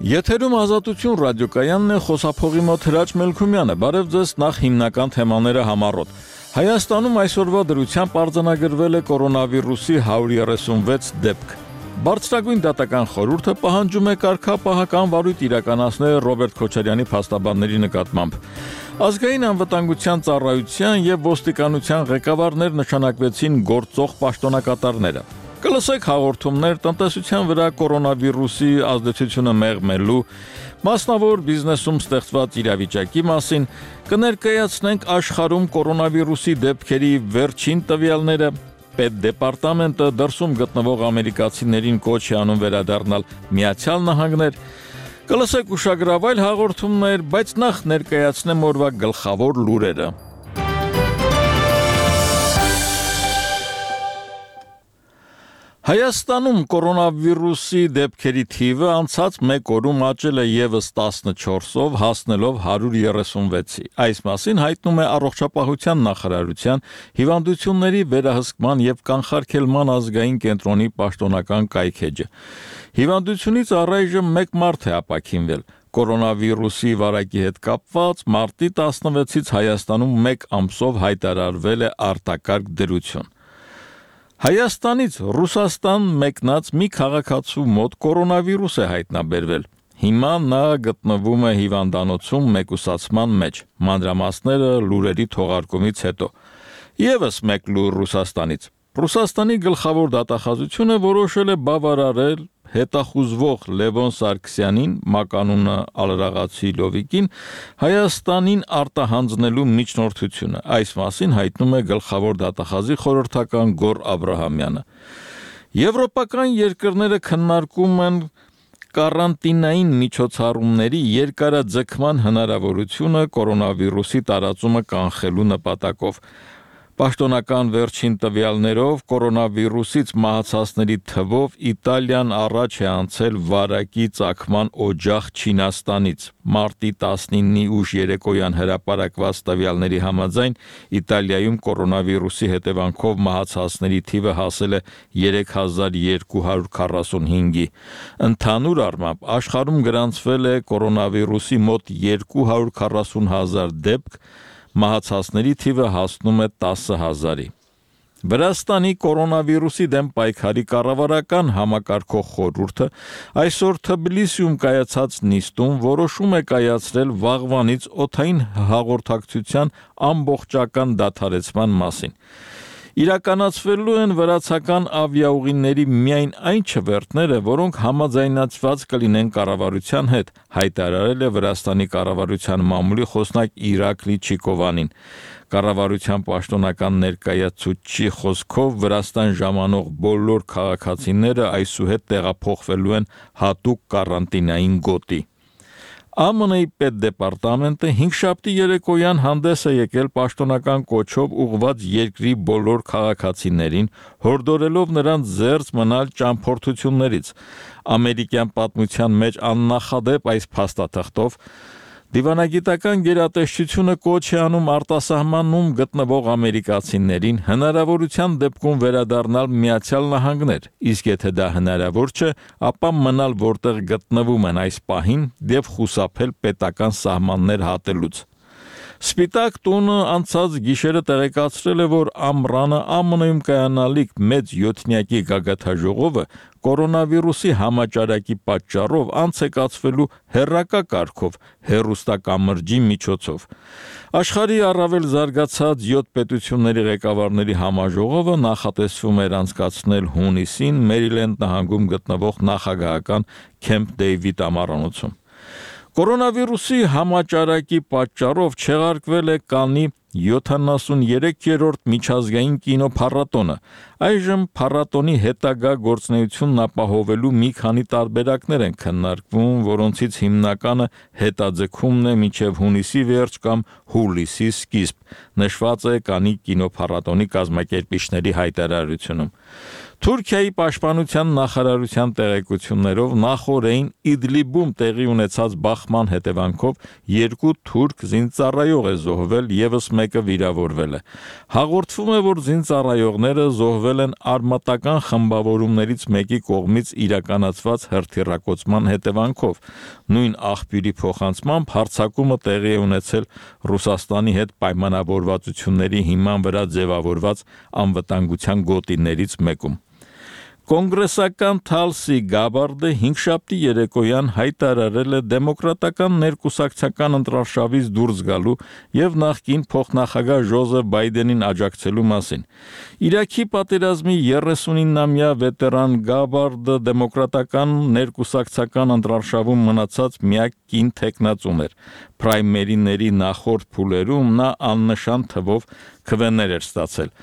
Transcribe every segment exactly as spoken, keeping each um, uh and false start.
Եթերում Ազատություն ռադիոկայանն է, խոսափողի մոտ Հրաչ Մելքումյանը։ Բարև ձեզ, նախ հիմնական թեմաները համառոտ։ Հայաստանում այսօրվա դրությամբ արձանագրվել է կորոնավիրուսի հարյուր երեսունվեց դեպք։ Բարձրագույն դատական խորհուրդը պահանջում է կարգապահական վարույթ իրականացնել Ռոբերտ Քոչարյանի փաստաբանների նկատմամբ։ Ազգային անվտանգության ծառայության եւ ոստիկանության ղեկավարներ նշանակվեցին գործող պաշտոնակատարները։ Կլսեք հաղորդումներ տնտեսության վրա կորոնավիրուսի ազդեցությունը մեղմելու, մասնավոր բիզնեսում ստեղծված իրավիճակի մասին, կներկայացնենք աշխարհում կորոնավիրուսի դեպքերի վերջին տվյալները, Պետդեպարտամենտը դրսում գտնվող ամերիկացիներին կոչ է անում վերադառնալ Միացյալ Նահանգներ, կլսեք ուշագրավայր հաղորդումներ, բայց նախ ներկայացնեմ օրվա գլխավոր լուրերը։ Հայաստանում կորոնավիրուսի դեպքերի թիվը անցած մեկ օրում աճել է ևս տասնչորսով, հասնելով հարյուր երեսունվեցի։ Այս մասին հայտնում է Առողջապահության նախարարության հիվանդությունների վերահսկման եւ կանխարգելման ազգային կենտրոնի պաշտոնական կայքէջը։ Հիվանդությունից առայժմ մեկ մարդ է ապաքինվել։ Կորոնավիրուսի վարակի հետ կապված մարտի տասնվեցից Հայաստանում մեկ ամսով հայտարարվել է արտակարգ դրություն։ Հայաստանից Ռուսաստան մեկնած մի քաղաքացու մոտ կորոնավիրուս է հայտնաբերվել։ Հիմա նա գտնվում է հիվանդանոցում մեկուսացման մեջ։ Մանրամասները լուրերի թողարկումից հետո։ Եվս մեկ լուր Ռուսաստանից։ Ռուսաստանի գլխավոր դատախազությունը որոշել է բավարարել հետախուզվող Լևոն Սարգսյանին, մականունը Ալրաղացի Լովիկին, Հայաստանին արտահանձնելու միջնորդությունը։ Այս մասին հայտնում է գլխավոր դատախազի խորհրդական Գոռ Աբրահամյանը։ Եվրոպական երկրները քննարկում են կարանտինային միջոցառումների երկարաձգման հնարավորությունը կորոնավիրուսի տարածումը կանխելու նպատակով։ Պաշտոնական վերջին տվյալներով կորոնավիրուսից մահացածների թվով Իտալիան առաջ է անցել վարակի ծագման օջախ Չինաստանից։ Մարտի տասնինի ուշ երեկոյան հրապարակված տվյալների համաձայն Իտալիայում կորոնավիրուսի հետևանքով մահացածների թիվը հասել է երեք հազար երկու հարյուր քառասունհինգի։ Ընդհանուր առմամբ աշխարհում գրանցվել է կորոնավիրուսի մոտ երկու հարյուր քառասուն հազար դեպք, մահացածների թիվը հասնում է տասը հազարի։ Վրաստանի կորոնավիրուսի դեմ պայքարի կառավարական համակարգող խորհուրդը այսօր Թբիլիսիում կայացած նիստում որոշում է կայացրել վաղվանից օդային հաղորդակցության ամբողջական դադարեցման մասին։ Իրականացվելու են վրացական ավիաուղիների միայն այն չվերթները, որոնք համաձայնացված կլինեն կառավարության հետ, հայտարարել է Վրաստանի կառավարության մամուլի խոսնակ Իրակլի Չիկովանին։ Կառավարության պաշտոնական ներկայացուցչի խոսքով Վրաստան ժամանող բոլոր քաղաքացիները այսուհետ տեղափոխվելու են հատուկ կարանտինային գոտի։ ԱՄՆ-ի Պետդեպարտամենտը հինգշաբթի երեկոյան հանդես է եկել պաշտոնական կոչով ուղղված երկրի բոլոր քաղաքացիներին, հորդորելով նրանց զերծ մնալ ճամփորդություններից։ Ամերիկյան պատմության մեջ աննախադեպ այս փաստաթղթով դիվանագիտական գերատեսչությունը կոչ է անում արտասահմանում գտնվող ամերիկացիներին հնարավորության դեպքում վերադառնալ Միացյալ Նահանգներ, իսկ եթե դա հնարավոր չէ, ապա մնալ որտեղ գտնվում են այս պահին եւ խուսափել պետական սահմաններ հատելուց։ Սպիտակ տունը անցած գիշերը տեղեկացրել է, որ ամռանը ԱՄՆ-ում կայանալիք մեծ յոթնյակի գագաթաժողովը կորոնավիրուսի համաճարակի պատճառով անց է կացվելու հեռակա կարգով հեռուստակամրջի միջոցով։ Աշխարհի առավել զարգացած յոթ պետությունների ղեկավարների համաժողովը նախատեսվում էր անցկացնել հունիսին Մերիլենդ նահանգում գտնվող նախագահական Քեմփ Դեյվիդ ամառանոցում։ Կորոնավիրուսի համաճարակի պատճառով չեղարկվել է Կաննի յոթանասուներեքերորդ միջազգային կինոփառատոնը։ Այժմ փառատոնի հետագա գործունեությունն ապահովելու մի քանի տարբերակներ են քննարկվում, որոնցից հիմնականը հետաձգումն է մինչև հունիսի վերջ կամ հուլիսի սկիզբ, նշված է Կաննի կինոփառատոնի կազմակերպիչների հայտարարությունում։ Թուրքիայի պաշտպանության նախարարության տեղեկություններով նախորդին Իդլիբում տեղի ունեցած բախման հետևանքով երկու թուրք զինծառայող է զոհվել, ևս մեկը վիրավորվել է։ Հաղորդվում է, որ զինծառայողները զոհվել կորցրել են արմատական խմբավորումներից մեկի կողմից իրականացված հրթիռակոծման հետևանքով։ Նույն աղբյուրի փոխանցմամբ հարձակումը տեղի է ունեցել Ռուսաստանի հետ պայմանավորվածությունների հիման վրա ձևավորված անվտանգության գոտիներից մեկում։ Կոնգրեսական Թալսի Գաբարդը հինգշաբթի երեկոյան հայտարարել է դեմոկրատական ներկուսակցական ընտրարշավից դուրս գալու եւ նախկին փոխնախագահ Ջոզեֆ Բայդենին աջակցելու մասին։ Իրաքի պատերազմի երեսունինամյա վետերան Գաբարդը դեմոկրատական ներկուսակցական ընտրարշավում մնացած միակ կին թեկնածուն էր։ Պրայմերիների նախորդ փուլերում նա աննշան թվով քվեներ էր ստացել։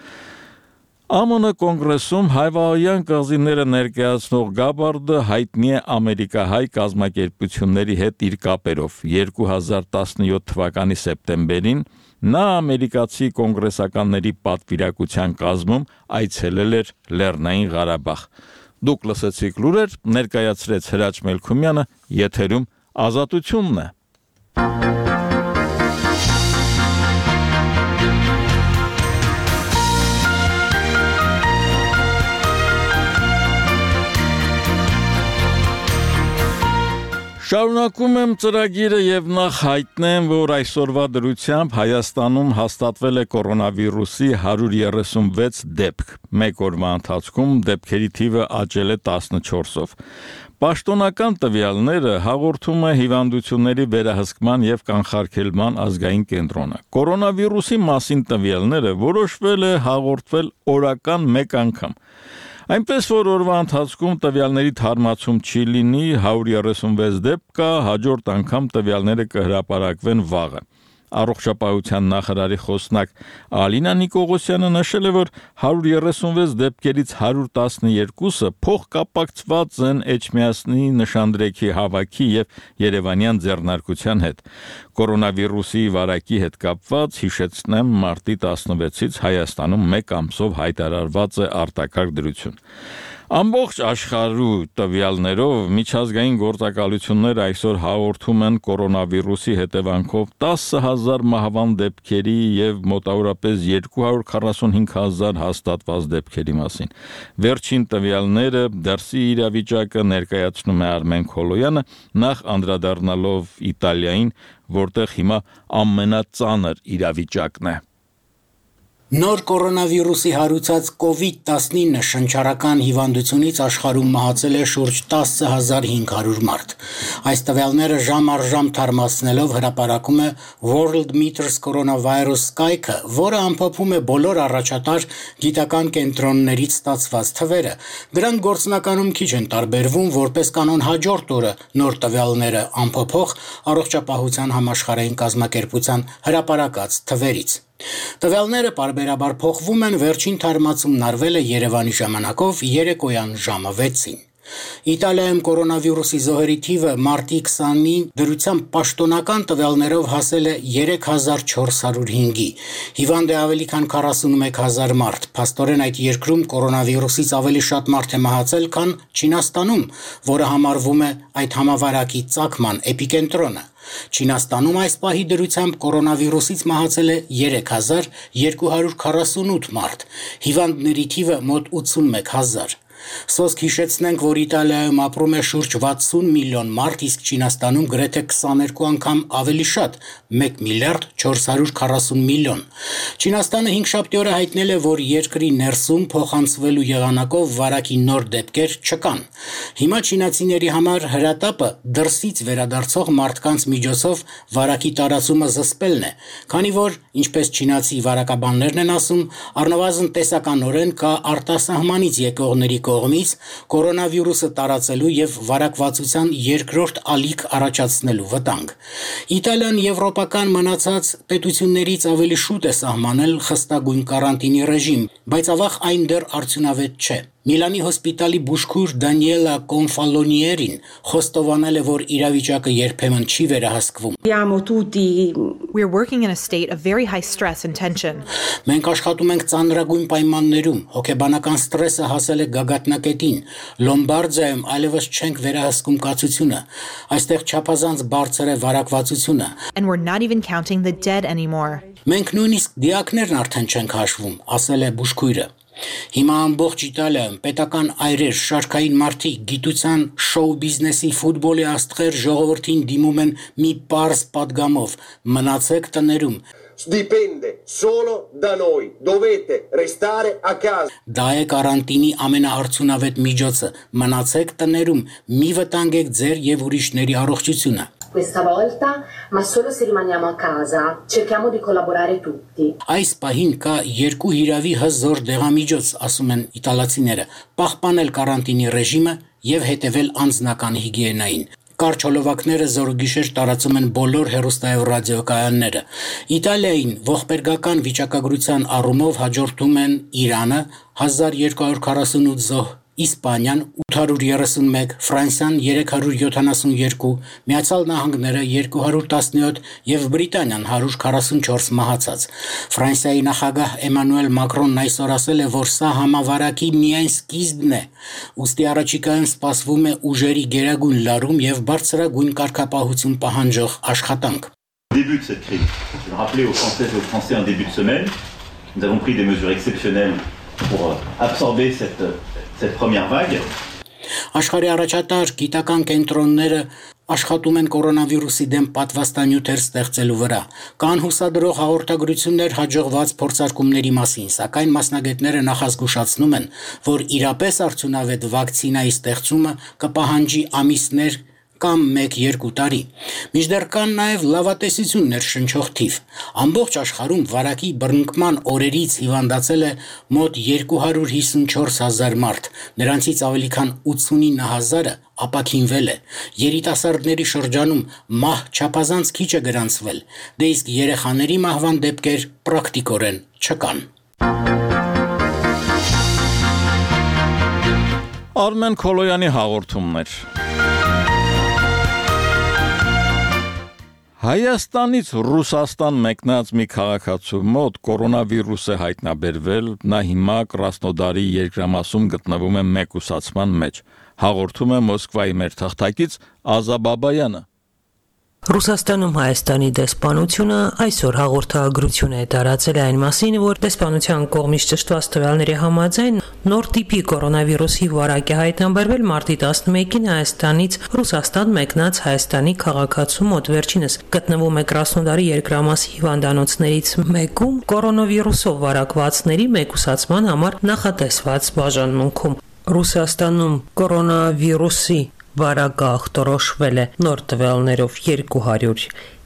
ԱՄՆ կոնգրեսում հայվահոյան կղզիները ներկայացնող Գաբարդը հայտնի է ամերիկահայ կազմակերպությունների հետ իր կապերով։ երկու հազար տասնյոթ թվականի սեպտեմբերին նա ամերիկացի կոնգրեսականների պատվիրակության կազմում այցելել էր Լեռնային Ղարաբաղ։ Դուք լսեցիք լուրեր, ներկայացրեց Հրաչ Մելքումյանը, եթերում Ազատությունն է։ Շարունակում եմ ծրագիրը եւ նախ հայտնեմ, որ այսօրվա դրությամբ Հայաստանում հաստատվել է կորոնավիրուսի հարյուր երեսունվեց դեպք։ Մեկ օրվա ընթացքում դեպքերի թիվը աճել է տասնչորսով։ Պաշտոնական տվյալները հաղորդում է հիվանդությունների վերահսկման եւ կանխարգելման ազգային կենտրոնը։ Կորոնավիրուսի մասին տվյալները որոշվել է հաղորդվել օրական մեկ անգամ։ Այնպես որ օրվա ընթացքում տվյալների թարմացում չի լինի, հարյուր երեսունվեց դեպք կա, հաջորդ անգամ տվյալները կհրապարակվեն վաղը։ Առողջապահության նախարարի խոսնակ Ալինա Նիկողոսյանը նշել է, որ հարյուր երեսունվեց դեպքերից հարյուր տասնյոթը փոխկապակցված են Էջմիածնի նշանդրեքի հավաքի եւ Երևանյան ձեռնարկության հետ։ Կորոնավիրուսի վարակի հետ կապված հիշեցնեմ մարտի տասնվեցից Հայաստանում մեկ ամսով հայտարարված է արտակարգ դրություն։ Ամբողջ աշխարհի տվյալներով միջազգային գործակալությունները այսօր հաղորդում են կորոնավիրուսի հետևանքով տասը հազար մահվան դեպքերի եւ մոտավորապես երկու հարյուր քառասունհինգ հազար հաստատված դեպքերի մասին։ Վերջին տվյալները դրսի իրավիճակը ներկայացնում է Արմեն Քոլոյանը, նախ անդրադառնալով Իտալիային, որտեղ հիմա ամենածանր իրավիճակն է։ Նոր կորոնավիրուսի հարուցած կովիդ տասնինը շնչառական հիվանդությունից աշխարհում մահացել է շուրջ տասը հազար հինգ հարյուր մարդ։ Այս տվյալները ժամ առ ժամ թարմացնելով հրապարակում է World Meters Coronavirus կայքը, որը ամփոփում է բոլոր առաջատար գիտական կենտրոններից ստացված թվերը։ Դրանք գործնականում քիչ են տարբերվում, որպես կանոն հաջորդ օրը նոր տվյալները ամփոփող Առողջապահության համաշխարհային կազմակերպության հրապարակած թվերից։ Տվյալները պարբերաբար փոխվում են, վերջին թարմացումն արվել է Երևանի ժամանակով երեկոյան ժամը վեցին։ Իտալիայում կորոնավիրուսի զոհերի թիվը մարտի քսանին դրությամբ պաշտոնական տվյալներով հասել է երեք հազար չորս հարյուր հինգի։ Հիվանդ է ավելի քան քառասունմեկ հազար մարդ։ Փաստորեն այդ երկրում կորոնավիրուսից ավելի շատ մարդ է մահացել, քան Չինաստանում, որը համարվում է այդ համավարակի ծագման էպիկենտրոնը։ Չինաստանում այս պահի դրությամբ կորոնավիրուսից մահացել է երեք հազար երկու հարյուր քառասունութ մարդ, հիվանդների թիվը մոտ ութսունմեկ հազար։ Սոսկ հիշեցնենք, որ Իտալիայում ապրում է շուրջ վաթսուն միլիոն մարդ, իսկ Չինաստանում գրեթե քսաներկու անգամ ավելի շատ՝ մեկ միլիարդ չորս հարյուր քառասուն միլիոն։ Չինաստանը հինգշաբթի օրը հայտնել է, որ երկրի ներսում փոխանցվելու եղանակով վարակի նոր դեպքեր չկան։ Հիմա չինացիների համար հրատապը դրսից վերադարձող մարդկանց միջոցով վարակի տարածումը զսպելն է, քանի որ, ինչպես չինացի վարակաբաններն են ասում, առնվազն տեսականորեն կա արտասահմանից եկողների կողմից կորոնավիրուսը տարածելու եւ վարակվածության երկրորդ ալիք առաջացնելու վտանգ։ Իտալիան եվրոպական մնացած պետություններից ավելի շուտ է սահմանել խստագույն կարանտինի ռեժիմ, բայց ավաղ այն դեռ արդյունավետ չէ։ Միլանի հոսպիտալի բուժքույր Դանիելա Կոնֆալոնիերին խոստովանել է, որ իրավիճակը երբեմն չի վերահսկվում։ We are working in a state of very high stress and tension. Մենք աշխատում ենք ծանրագույն պայմաններում, հոգեբանական ստրեսը հասել է գագաթնակետին։ Լոմբարդիայում այլևս չենք վերահսկում կացությունը, այստեղ չափազանց բարձր է վարակվածությունը։ And we're not even counting the dead anymore. Մենք նույնիսկ դիակներն արդեն չենք հաշվում, ասել է բուժքույրը։ Հիմա ամբողջ Իտալիայում պետական այրեր, շարքային մարդիկ, գիտության, շոու բիզնեսի, ֆուտբոլի աստղեր ժողովրդին դիմում են մի պարզ պատգամով՝ մնացեք տներում։ Dipende solo da noi, dovete restare a casa. Դա է կարանտինի ամենաարդյունավետ միջոցը՝ մնացեք տներում, մի վտանգեք ձեր եւ ուրիշների առողջությունը։ Questa volta, ma solo se rimaniamo a casa, cerchiamo di collaborare tutti. Այս պահին կա երկու հիրավի հզոր դեղամիջոց, ասում են իտալացիները՝ պահպանել կարանտինի ռեժիմը եւ հետեւել անձնական հիգիենային։ Կարճ հոլովակները զորուգիշեր տարածում են բոլոր հեռուստայով ռադիոկայանները։ Իտալիային ողբերգական վիճակագրության առումով հաջորդում են Իրանը հազար երկու հարյուր քառասունութ զոհ, Իսպանիան ութ հարյուր երեսունմեկ, Ֆրանսիան երեք հարյուր յոթանասունյոթ, Միացյալ Նահանգները երկու հարյուր տասնյոթ եւ Բրիտանիան հարյուր քառասունչորս մահացած։ Ֆրանսիայի նախագահ Էմանուել Մակրոնն այսօր ասել է, որ սա համավարակի միայն սկիզբն է։ Ուստի առաջիկայում սպասվում է ուժերի գերագույն լարում եւ բարձրագույն կարգապահություն պահանջող աշխատանք։ Début de cette crise, je vais rappeler aux Françaises et aux Français en début de semaine, nous avons pris des mesures exceptionnelles pour absorber cette cette première vague. Աշխարհի առաջատար գիտական կենտրոնները աշխատում են կորոնավիրուսի դեմ պատվաստանյութեր ստեղծելու վրա։ Կան հուսադրող հաղորդագրություններ հաջողված փորձարկումների մասին, սակայն մասնագետները նախազգուշացնում են, որ իրապես արդյունավետ վակցինայի ստեղծումը կպահանջի ամիսներ կամ մեկ-երկու տարի։ Մինչդեռ կան նաև լավատեսություններ շնչող թիվ։ Ամբողջ աշխարհում վարակի բռնկման օրերից հիվանդացել է մոտ երկու հարյուր հիսունչորս հազար մարդ, նրանցից ավելի քան ութսունինը հազարը ապաքինվել է։ Երիտասարդների շրջանում մահ չափազանց քիչ է գրանցվել, դե իսկ երեխաների մահվան դեպքեր պրակտիկորեն չկան։ Արմեն Քոլոյանի հաղորդումներ։ Հայաստանից Ռուսաստան մեկնած մի քաղաքացու մոտ կորոնավիրուս է հայտնաբերվել, նա հիմա Կրասնոդարի երկրամասում գտնվում է մեկուսացման մեջ։ Հաղորդում է Մոսկվայի մեր թղթակից Ազա Բաբայանը։ Ռուսաստանում Հայաստանի դեսպանությունը այսօր հաղորդագրություն է տարածել այն մասին, որ դեսպանության կողմից ճշտված տվյալների համաձայն նոր տիպի կորոնավիրուսի վարակ է հայտնաբերվել մարտի տասնմեկին Հայաստանից Ռուսաստան մեկնած Հայաստանի քաղաքացու մոտ, վերջինս գտնվում է Կրասնոդարի երկրամասի հիվանդանոցներից մեկում կորոնավիրուսով վարակվածների մեկուսացման համար նախատեսված բաժանմունքում։ Ռուսաստանում կորոնավիրուսի վարակը ախտորոշվել է նոր տվյալներով երկու հարյուր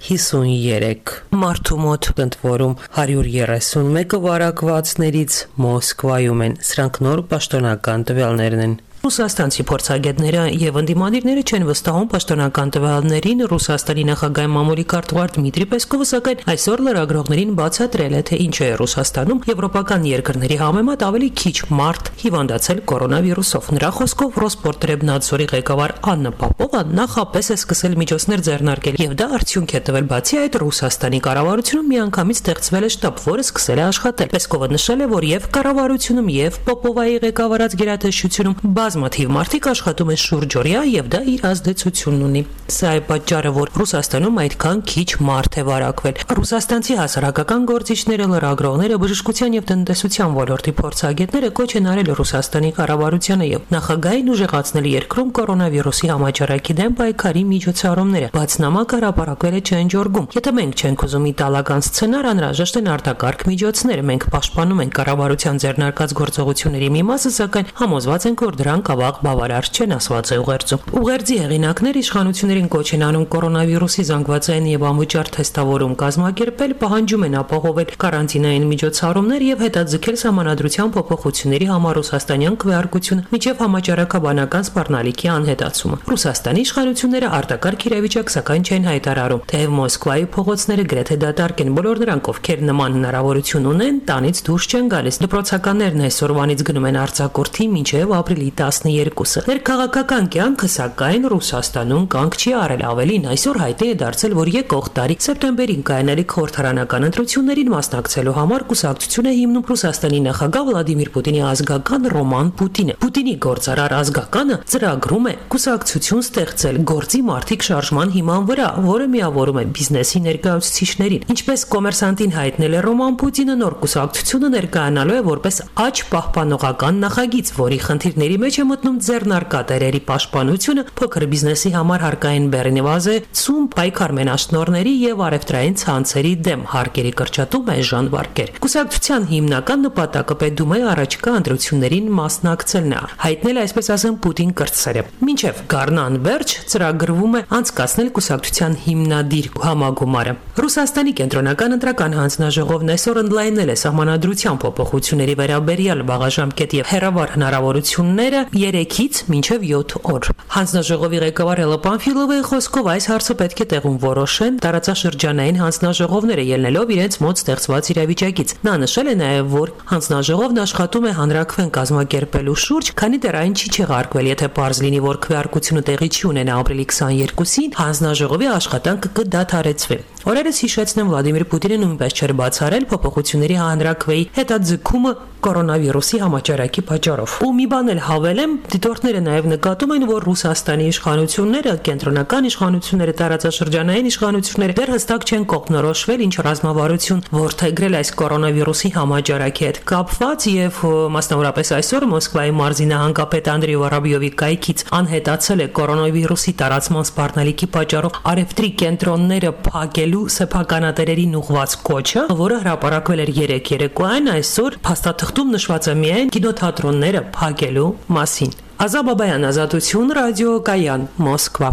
հիսուներեք մարդու մոտ, ընդ որում հարյուր երեսունմեկը վարակվածներից Մոսկվայում են։ Սրանք նոր պաշտոնական տվյալներն են։ Ռուսաստանցի փորձագետները եւ ընդդիմադիրները չեն վստահում պաշտոնական տվյալներին։ Ռուսաստանի նախագահի մամուլի քարտուղար Դմիտրի Պեսկովը սակայն այսօր լրագրողներին բացատրել է, թե ինչ է Ռուսաստանում եվրոպական երկրների համեմատ ավելի քիչ մարդ հիվանդացել կորոնավիրուսով։ Նրա խոսքով Ռոսպորտրեբնadzորի ղեկավար Աննա Պապովը նախապես է սկսել միջոցներ ձեռնարկել եւ դա արդյունք է տվել։ Բացի այդ, Ռուսաստանի կառավարությունում միանգամից ստեղծվել է շտաբ, որը սկսել է աշխատել։ Պեսկովը նշել է, որ եւ կառավարությունում եւ Պոպովայի ղեկավարած գերատեսչությունում բազմաթիվ մարդիկ աշխատում են շուրջօրյա եւ դա իր ազդեցությունն ունի։ Սա է պատճառը, որ Ռուսաստանում այդքան քիչ մարդ է վարակվել։ Ռուսաստանցի հասարակական գործիչները, լրագրողները, բժշկության եւ տնտեսության ոլորտի փորձագետները կոչ են արել Ռուսաստանի կառավարությանը եւ նախագահային ուժեղացնել երկրում կորոնավիրուսի համաճարակի դեմ պայքարի միջոցառումները։ Բաց նամակը հրապարակվել է Չենջորգում։ Եթե մենք չենք ուզում իտալական սցենար, անհրաժեշտ են արտակարգ միջոցներ։ Մենք պաշտպանում ենք կառավարության ձեռնարկած գործողությունների մի մասը, սակայն համոզված ենք, որ դրանք ավաղ բավարար չեն, ասված է ուղերձում։ Ուղերձի հեղինակներ իշխանություններին կոչ են անում կորոնավիրուսի զանգվածային եւ անվճար թեստավորում կազմակերպել, պահանջում են ապահովել կարանտինային միջոցառումներ եւ հետաձգել սահմանադրության փոփոխությունների համար ռուսաստանյան քվեարկությունը միջև համաճարակաբանական սպառնալիքի անհետացումը։ Ռուսաստանի իշխանությունները արտակարգ իրավիճակ սակայն չեն հայտարարում, թեև Մոսկվայի փողոցները գրեթե դատարկ են։ Բոլոր նրանք, ովքեր նման հնարավորություն ունեն, տանից դուրս չեն գալիս։ Դպրոցականներն այսօրվանից գնում են արձակուրդի մինչև ապրիլի տասներկուսը։ Ներքաղաքական կյանքը սակայն Ռուսաստանում կանգ չի արել, ավելին այսօր հայտնի է դարձել, որ եկող տարի սեպտեմբերին կայանալիք խորհրդարանական ընտրություններին մասնակցելու համար կուսակցություն է հիմնում Ռուսաստանի նախագահ Վլադիմիր Պուտինի ազգական Ռոման Պուտինը։ Պուտինի գործարար ազգականը ծրագրում է կուսակցություն ստեղծել գործի մարդիկ շարժման հիման վրա, որը միավորում է բիզնեսի ներկայացուցիչներին։ Ինչպես Կոմերսանտին հայտնել է Ռոման Պուտինը, նոր կուսակցությունը ներկայանալու է որպես աճ պահպանողական նախագիծ, որի խնդիրների մեջ է մտնում ձեռնարկատերերի պաշտպանությունը, փոքր բիզնեսի համար հարկային բեռնեվազեցում, պայքար մենաշնորհների եւ առևտրային ցանցերի դեմ, հարկերի կրճատում, էժան վարկեր։ Կուսակցության հիմնական նպատակը պետում է առաջկա ընտրություններին մասնակցելն է, հայտնել է այսպես ասեմ Պուտին կրտսերը։ Մինչև գարնան վերջ ծրագրվում է անցկացնել կուսակցության հիմնադիր համագումարը։ Ռուսաստանի կենտրոնական ընտրական հանձնաժողովն այսօր ընդլայնել է սահմանադրության փոփոխությունների վերաբերյալ բաղաժամկետ եւ հեռավար հնարավորությունները երեքից մինչև յոթ օր։ Հանձնաժողովի ղեկավար Էլլա Պանֆիլովայի խոսքով այս հարցը պետք է տեղում որոշեն տարածաշրջանային հանձնաժողովները ելնելով իրենց մոտ ստեղծված իրավիճակից։ Նա նշել է նաեւ, որ հանձնաժողովն աշխատում է հանրաքվեն կազմակերպելու շուրջ, քանի դեռ այն չի չեղարկվել, եթե պարզ լինի, որ քվեարկությունը տեղի չի ունենա ապրիլի քսաներկուսին, հանձնաժողովի աշխատանքը կդադարեցվի։ Օրերս հիշեցնեմ, Վլադիմիր Պուտինը նույնպես չէր բացառել փոփոխությունների հանրաքվեի հետաձգումը կորոնավիրուսի համաճարակի պատճառով։ Ու մի բան էլ հավելեմ, դիտորդները նաև նկատում են, որ Ռուսաստանի իշխանությունները, կենտրոնական իշխանությունները, տարածաշրջանային իշխանությունները դեռ հստակ չեն կողմնորոշվել ինչ ռազմավարություն որդեգրել այս կորոնավիրուսի համաճարակի հետ կապված, եւ մասնավորապես այսօր Մոսկվայի մարզի նահանգապետ Անդրեյ Վորոբյովի կայքից անհետացել է կորոնավիրուսի տարածման սպառնալիքի պատճառով առևտրի կենտրոնները փակելու սեփականատերերին ուղղված կոչը, որը հրապարակվել էր երեկ երեկոյան, այսօր փաստաթղթում նշված է միայն կինոթատրոնները փակելու մասին։ Ազա Բաբայան, Ազատություն, Ռադիո Կայան, Մոսկվա։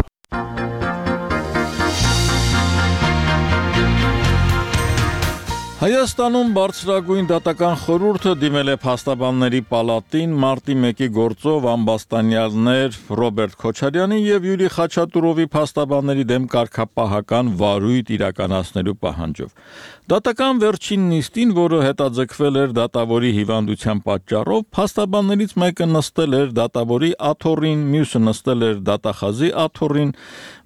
Հայաստանում բարձրագույն դատական խորհուրդը դիմել է փաստաբանների պալատին մարտի մեկի գործով ամբաստանյալներ Ռոբերտ Քոչարյանի եւ Յուրի Խաչատուրովի փաստաբանների դեմ կարգապահական վարույթ իրականացնելու պահանջով։ Դատական վերջին նիստին, որը հետաձգվել էր դատավորի հիվանդության պատճառով, փաստաբաններից մեկը նստել էր դատավորի աթոռին, մյուսը նստել էր դատախազի աթոռին,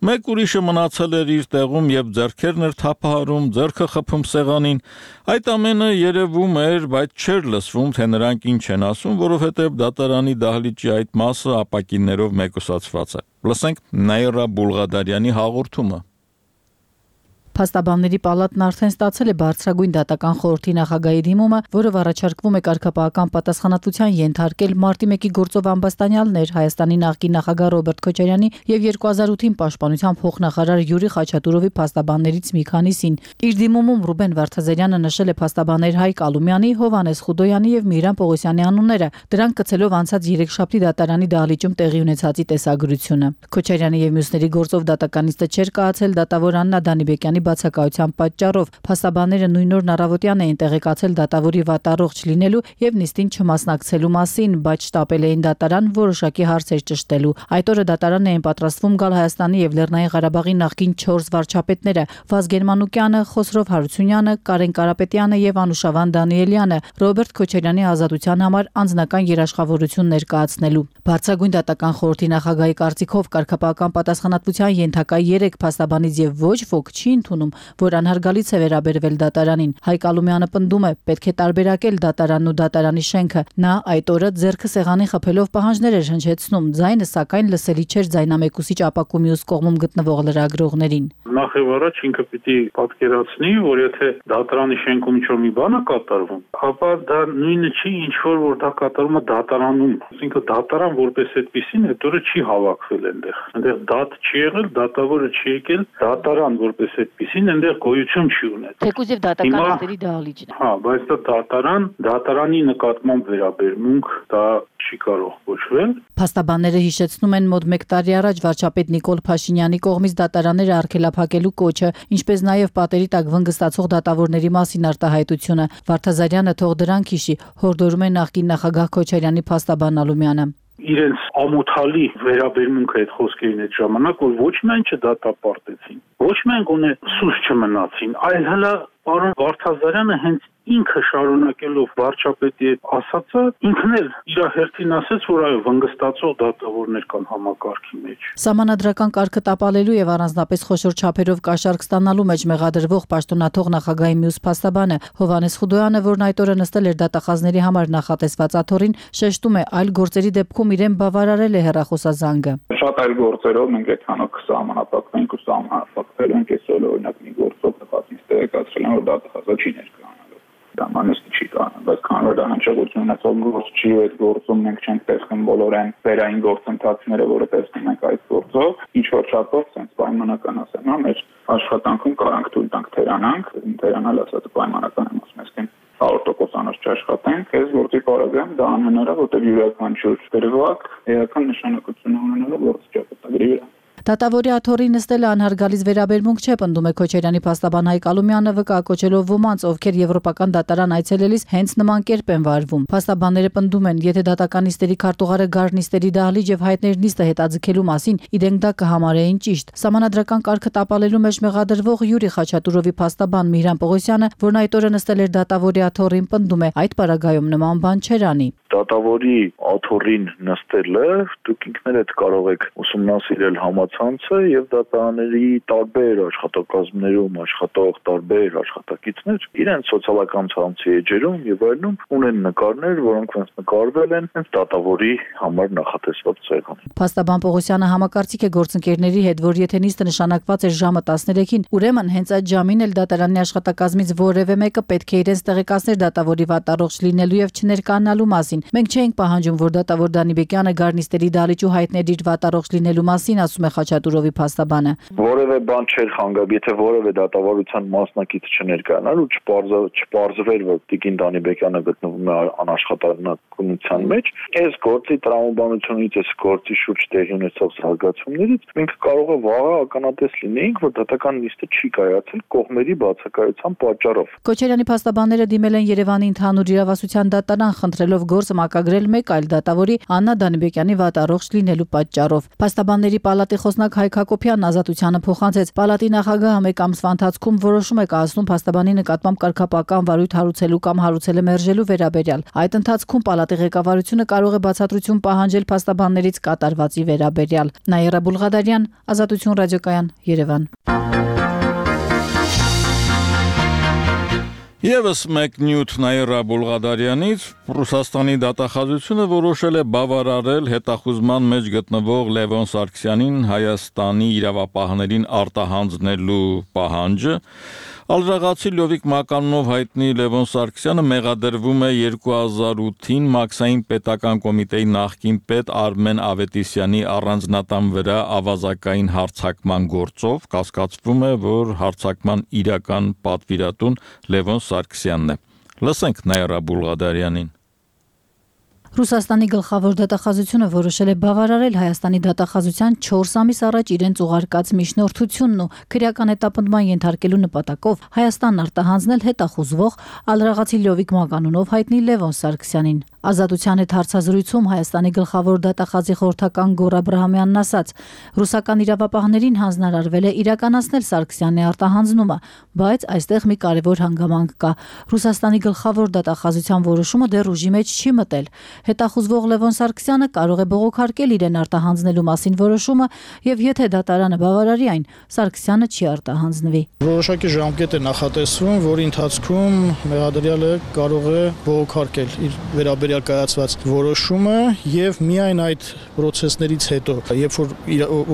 մեկ ուրիշը մնացել էր իր տեղում եւ ձեռքերն էր թափահարում, ձեռքը խփում սեղանին։ Այդ ամենը երևում էր, բայց չէր լսվում, թե նրանք ինչ են ասում, որովհետև դատարանի դահլիճի այդ մասը ապակիններով մեկուսացված է։ Լսենք Նաիրա Բուլղադարյանի հաղորդումը։ Փաստաբանների պալատն արդեն ստացել է բարձրագույն դատական խորհրդի նախագահի դիմումը, որով առաջարկվում է կարգապահական պատասխանատվության ենթարկել մարտի մեկի գործով ամբաստանյալներ Հայաստանի նախկին նախագահ Ռոբերտ Քոչարյանի եւ երկու հազար ութին պաշտպանության փոխնախարար Յուրի Խաչատուրովի փաստաբաններից մի քանիսին։ Իր դիմումում Ռուբեն Վարդազարյանը նշել է փաստաբաններ Հայկ Ալումյանի, Հովհաննես Խուդոյանի եւ Միրան Պողոսյանի անունները, դրանք կցելով անցած երեքշաբթի դատարանի դահլիճում տեղի ունեցածի տեսագրությունը։ Քոչարյանի եւ մյուսների գործով դատականիստը չէր կայացել դատավոր Աննա Դանիբեկյանի բացակայության պատճառով փաստաբանները նույն օրն առավոտյան էին տեղեկացել դատավորի վատառողջ լինելու եւ նիստին չմասնակցելու մասին, բայց շտապել էին դատարան որոշակի հարցեր ճշտելու։ Այդ օրը դատարան էին պատրաստվում գալ Հայաստանի եւ Լեռնային Ղարաբաղի նախկին չորս վարչապետները՝ Վազգեն Մանուկյանը, Խոսրով Հարությունյանը, Կարեն Կարապետյանը եւ Անուշավան Դանիելյանը Ռոբերտ Քոչարյանի ազատության համար անձնական երաշխավորություն ներկայացնելու։ Բարձրագույն դատական խորհրդի նախագահի կարծիքով կարգապահական պատասխանատվության ենթակա երեք փաստաբանից եւ ոչ ոք չի ընդունում, որ անհարգալից է վերաբերվել դատարանին։ Հայկ Ալումյանը պնդում է, պետք է տարբերակել դատարանն ու դատարանի շենքը։ Նա այդ օրը ձեռքը սեղանի խփելով պահանջներ էր հնչեցնում, ձայնը սակայն լսելի չէր ձայնամեկուսիչ ապակու մյուս կողմում գտնվող լրագրողներին։ Նախ եւ առաջ ինքը պիտի պատկերացնի, որ եթե դատարանի շենքում ինչ-որ մի բան է կատարվում, ապա դա նույնը չի, ինչ որ որ դա կատարվում է դատարանում։ Այսինքն դատարան որպես այդպեսին այդ օրը չի հավաքվել այնտեղ։ Այնտեղ դատ չի եղել, դատավորը չի եկել, դատարան որպես այդպեսին այնտեղ գոյություն չի ունեցել։ Թեկուզ եւ դատական նիստերի դահլիճն է։ Հա, բայց դա դատարան, դատարանի նկատմամբ վերաբերմունք դա չի կարող կոչվել։ Փաստաբանները հիշեցնում են մոտ մեկ տարի առաջ վարչապետ Նիկոլ Փաշինյանի կողմից դատարանները արգելափակելու կոչը, ինչպես նաև պատերի տակ վնգստացող դատավորների մասին արտահայտությունը։ Վարդազարյանը թող դրանք հիշի, հորդորում է նախկին նախագահ Քոչարյանի փաստաբան Ալումյանը։ Իրենց ամոթալի վերաբերմունքը այդ խոսքերին այդ ժամանակ, որ ոչ միայն չդատապարտեցին, ոչ միայն գոնե սուս չմնացին, այլ հələ պարոն Վարդազարյանը հենց ինքը շարունակելով վարչապետի հետ ասածը, ինքն էլ իր հերթին ասեց, որ այո, վնգստացող դատավորներ կան համակարգի մեջ։ Սահմանադրական կարգը տապալելու եւ առանձնապես խոշոր չափերով կաշառք ստանալու մեջ մեղադրվող պաշտոնաթող նախագահի մյուս փաստաբանը Հովհաննես Խուդոյանը, որն այդ օրը նստել էր դատախազների համար նախատեսված աթոռին, շեշտում է, այլ գործերի դեպքում իրեն բավարարել է հեռախոսազանգը։ Շատ այլ գործերով մենք այդքանով սահմանափակվենք ու սահմանափակվել ենք այսօր օրինակ մի գործով նպատից տեղեկացրել են, որ դատախազը չի ներկայանալու։ Դա մանեստ չի կանոն, բայց քանի որ դա հնչեղություն ունեցող գործ չի ու այդ գործում մենք չենք տեսնում բոլորեն վերային գործընթացները, որը տեսնում ենք այդ գործով, ինչ որ չափով sense պայմանական ասեմ, հա, մեր աշխատանքում կարանք թույլ տանք թերանանք, թերանալ ասած պայմանական եմ ասում, այսինքն հարյուր տոկոս անց չաշխատենք, այս գործի պարագայում դա անհնար է, որտեղ յուրաքանչյուր դրվագ էական նշանակություն ունենալու գործ ճակատագրի վրա։ Դատավորի աթոռի նստելը անհարգալից վերաբերմունք չէ, պնդում է Քոչարյանի փաստաբան Հայկ Ալումյանը, վկայակոչելով ոմանց, ովքեր եվրոպական դատարան այցելելիս հենց նման կերպ են վարվում։ Փաստաբանները պնդում են, եթե դատական նիստերի քարտուղարը գառնիստերի դահլիճ եւ հայտներ նիստը հետաձգելու մասին իրենք դա կհամարեին ճիշտ։ Սահմանադրական կարգը տապալելու մեջ մեղադրվող Յուրի Խաչատուրովի փաստաբան Միհրան Պողոսյանը, որն այդ օրը նստել էր դատավորի աթոռին, պնդում է, այդ պարագայում նման բան չէր անի։ Դատավորի աթոռին նստելը դուք ինքներդ կարող եք ուսումնասիրել համացանցը եւ դատարանների տարբեր աշխատակազմներում աշխատող տարբեր աշխատակիցներ իրենց սոցիալական ցանցի էջերում եւ այլնում ունեն նկարներ, որոնք հենց նկարվել են հենց դատավորի համար նախատեսված սեղանին։ Փաստաբան Պողոսյանը համակարծիք է գործընկերների հետ, որ եթե նիստը նշանակված էր ժամը տասներեքին, ուրեմն հենց այդ ժամին էլ դատարանի աշխատակազմից որևէ մեկը պետք է իրենց տեղեկացներ դատավորի վատառողջ լինելու եւ չներկայանալու մասին։ Մենք չէինք պահանջում, որ դատավոր Դանիբեկյանը գառնիստերի դահլիճ ու հայտներ իր վատառողջ լինելու մասին, ասում է Խաչատուրովի փաստաբանը։ Որևէ բան չէր խանգարում, եթե որևէ դատավարության մասնակից չներկայանար ու չպարզվեր, որ Տիկին Դանիբեկյանը գտնվում է անաշխատանքության մեջ, այս գործի տրամաբանությունից, այս գործի շուրջ տեղի ունեցող զարգացումներից մենք կարող է վաղը ականատես լինեինք, որ դատական նիստը չի կայացել կողմերի բացակայության պատճառով։ Քոչարյանի փաստաբանները դիմել են Երևանի ընդհանուր իրավասության դատարան, խնդրելով գործը մակագրել մեկ այլ դատավորի Աննա Դանիբեկյանի վատառողջ լինելու պատճառով։ Փաստաբանների պալատի խոսնակ Հայկ Հակոբյանն Ազատությանը փոխանցեց, պալատի նախագահը մեկ ամսվա ընթացքում որոշում է կայացնում փաստաբանի նկատմամբ կարգապահական վարույթ հարուցելու կամ հարուցելը մերժելու վերաբերյալ։ Այդ ընթացքում պալատի ղեկավարությունը կարող է բացատրություն պահանջել փաստաբաններից կատարվածի վերաբերյալ։ Նաիրա Բուլղադարյան, Ազատություն ռադիոկայան, Երևան։ Եվս մեկ նյութ Նաիրա Բուլղադարյանից Ռուսաստանի դատախազությունը որոշել է բավարարել հետախուզման մեջ գտնվող Լևոն Սարգսյանին Հայաստանի իրավապահներին արտահանձնելու պահանջը։ Ալժաղացի Լյովիկ Մականունով հայտնի Լևոն Սարգսյանը մեղադրվում է երկու հազար ութին Մաքսային պետական կոմիտեի նախկին պետ Արմեն Ավետիսյանի առանձնատան վրա ավազակային հարձակման գործով, կասկածվում է, որ հարձակման իրական պատվիրատուն Լևոն Սարգսյանն է։ Լսենք Նաիրա Բուլղադարյանին։ Ռուսաստանի գլխավոր դատախազությունը որոշել է բավարարել Հայաստանի դատախազության չորս ամիս առաջ իրենց ուղարկած միջնորդությունն ու քրեական հետապնդման ենթարկելու նպատակով Հայաստանն արտահանձնել հետախուզվող ալրաղացի Լյովիկ Մականունով հայտնի Լևոն Սարգսյանին։ Ազատության հետ հարցազրույցում Հայաստանի գլխավոր դատախազի խորհրդական Գոռ Աբրահամյանն ասաց. ռուսական իրավապահներին հանձնարարվել է իրականացնել Սարգսյանի արտահանձնումը, բայց այստեղ մի կարևոր հանգամանք կա։ Ռուսաստանի գլխավոր դատախազության որոշումը դեռ ուժի մեջ չի մտել։ Հետախուզվող Լևոն Սարգսյանը կարող է բողոքարկել իրեն արտահանձնելու մասին որոշումը, եւ եթե դատարանը բավարարի այն, Սարգսյանը չի արտահանձնվի։ Որոշակի ժամկետ է նախատեսվում, որի ընթացքում մեղադրյալը կարող է բողոքարկել իր վերաբերյալ կայացված որոշումը եւ միայն այդ process-ներից հետո, երբ որ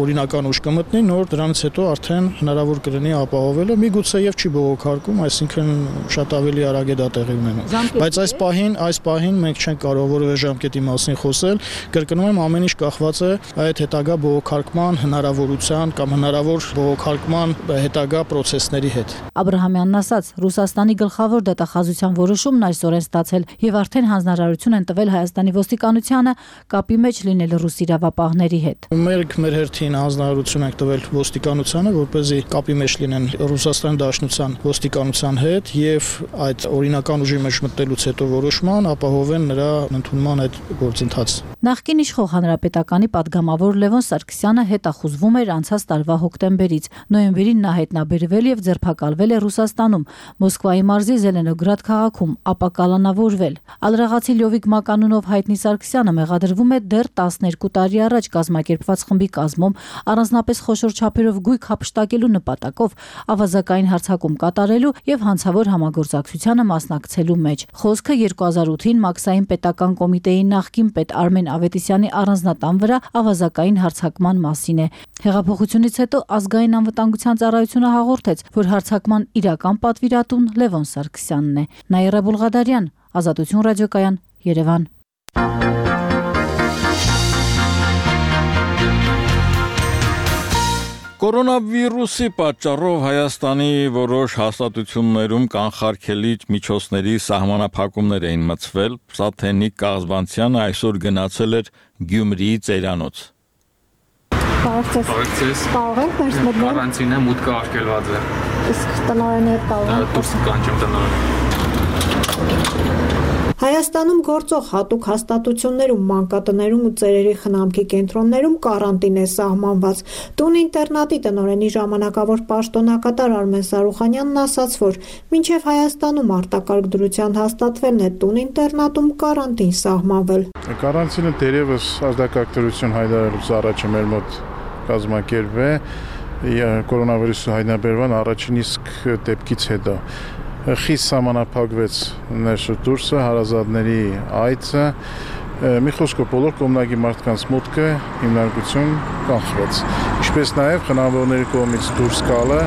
օրինական ուժ կմտնի, նոր դրանից հետո արդեն հնարավոր կլինի ապահովելը, միգուցե եւ չի բողոքարկում, այսինքն շատ ավելի արագ է դա տեղի ունենում։ Բայց այս պահին, այս պահին մենք չենք կարող որևէ ժամկետի մասին խոսել, կրկնում եմ, ամեն ինչ կախված է այդ հետագա բողոքարկման հնարավորության կամ հնարավոր բողոքարկման հետագա process-ների հետ։ Աբրահամյանն ասաց, Ռուսաստանի գլխավոր դատախազության որոշումն այսօր է ստացել եւ արդեն հանձնարարություն են տվել Հայաստանի ոստիկանությանը կապի մեջ լինել ռուս իրավապահների հետ։ Մենք մեր հերթին հանձնարարություն ենք տվել ոստիկանությանը, որպեսզի կապի մեջ լինեն Ռուսաստանի Դաշնության ոստիկանության հետ եւ այդ օրինական ուժի մեջ մտնելուց հետո որոշման ապահովեն նրա ընդունման նման այդ գործընթաց։ Նախկին իշխող հանրապետականի падգամավոր Լևոն Սարգսյանը հետախուզվում էր անցած տարվա հոկտեմբերից։ Նոյեմբերին նա հայտնաբերվել եւ ձերբակալվել է Ռուսաստանում, Մոսկվայի մարզի Զելենոգրադ քաղաքում, ապա կալանավորվել։ Ալրաղացի Լյովիկ Մականունով հայտնի Սարգսյանը մեղադրվում է դեռ տասներկու տարի առաջ կազմակերպված խմբի կազմում առանձնապես խոշոր չափերով գույք հափշտակելու նպատակով ավազակային հարձակում կատարելու եւ հանցավոր համագործակցությանը մասնակցելու մեջ։ Խոսքը երկու հազար ութին Մաքսային պետական կոմիտեի նախկին պետ Արմեն Ավետիսյանի առանձնատան վրա ավազակային հարձակման մասին է։ Հեղափոխությունից հետո ազգային անվտանգության ծառայությունը հաղորդեց, որ հարձակման իրական պատվիրատուն Լևոն Սարգսյանն է։ Նաիրա Բուլղադարյան, Ազատություն ռադիոկայան, Երևան։ Կորոնավիրուսի պատճառով Հայաստանի որոշ հաստատություններում կանխարգելիչ միջոցների սահմանափակումներ էին մտցվել։ Սաթենիկ Կաղզբանցյանը այսօր գնացել էր Գյումրիի ծերանոց։ Բարեկցես։ Կարող եք ներս մտնել։ Կարանտինը մուտքը արգելված է։ Իսկ տնօրենի հետ կարող եք դուրս կանչեմ տնօրենին։ Հայաստանում գործող հատուկ հաստատություններում, մանկատներում ու ծերերի խնամքի կենտրոններում կարանտին է սահմանված։ Տուն ինտերնատի տնօրենի ժամանակավոր պաշտոնակատար Արմեն Սարուխանյանն ասաց, որ մինչև Հայաստանում արտակարգ դրության հաստատվելն է տուն ինտերնատում կարանտին սահմանվել։ Կարանտինը դերևս ազդակարգ դրություն հայտարարելուց առաջ մեր մոտ կազմակերպվել է կորոնավիրուսի հայտնաբերման առաջին իսկ դեպքից հետո։ Խիստ սահմանափակվեց ներսը դուրսը, հարազատների այցը, մի խոսքով բոլոր կողմնակի մարդկանց մուտքը հիմնարկություն կանխվեց, ինչպես նաև խնամավորների կողմից դուրս գալը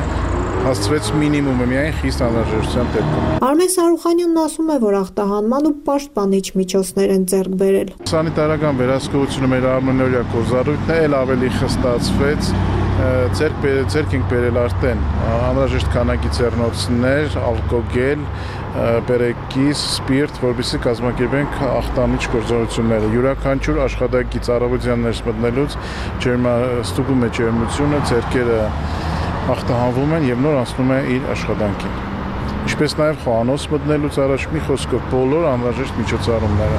հասցվեց մինիմումը միայն խիստ անհրաժեշտության դեպքում։ Արմեն Սարուխանյանն ասում է, որ ախտահանման ու պաշտպանիչ միջոցներ են ձեռք բերել։ Սանիտարական վերահսկողությունը մեր ամենօրյա գործառույթն է, էլ ավելի խստացվեց, ձեռք ձեռք ենք բերել արդեն անհրաժեշտ քանակի ձեռնոցներ, ալկոգել, բերեկիս, սպիրտ, որպեսզի կազմակերպենք ախտանիչ գործողությունները։ Յուրաքանչյուր աշխատակից առավոտյան ներս մտնելուց ստուգում է ջերմությունը, ձեռքերը ախտահանվում են եւ նոր անցնում է իր աշխատանքին։ Ինչպես նաև խոհանոց մտնելուց առաջ մի խոսքով բոլոր անհրաժեշտ միջոցառումները։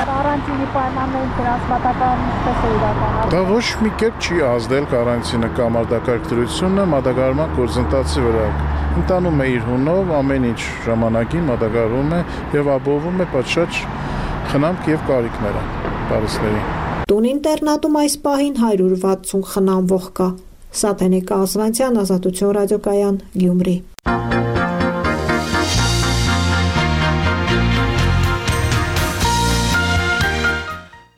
Կարանտինի պայմաններին դրանց մատակարարում ինչպես է իրականացվում։ Դա ոչ մի կերպ չի ազդել կարանտինը կամ արտակարգ դրությունը մատակարարման գործընթացի վրա։ Ընտանում է իր հունով, ամեն ինչ ժամանակին մատակարարվում է եւ ապահովում է պատշաճ խնամք եւ կարիքները բարիսների։ Տուն ինտերնատում այս պահին հարյուր վաթսուն խնամվող կա։ Սաթենիկ Կաղզբանցյան, Ազատություն ռադիոկայան, Գյումրի։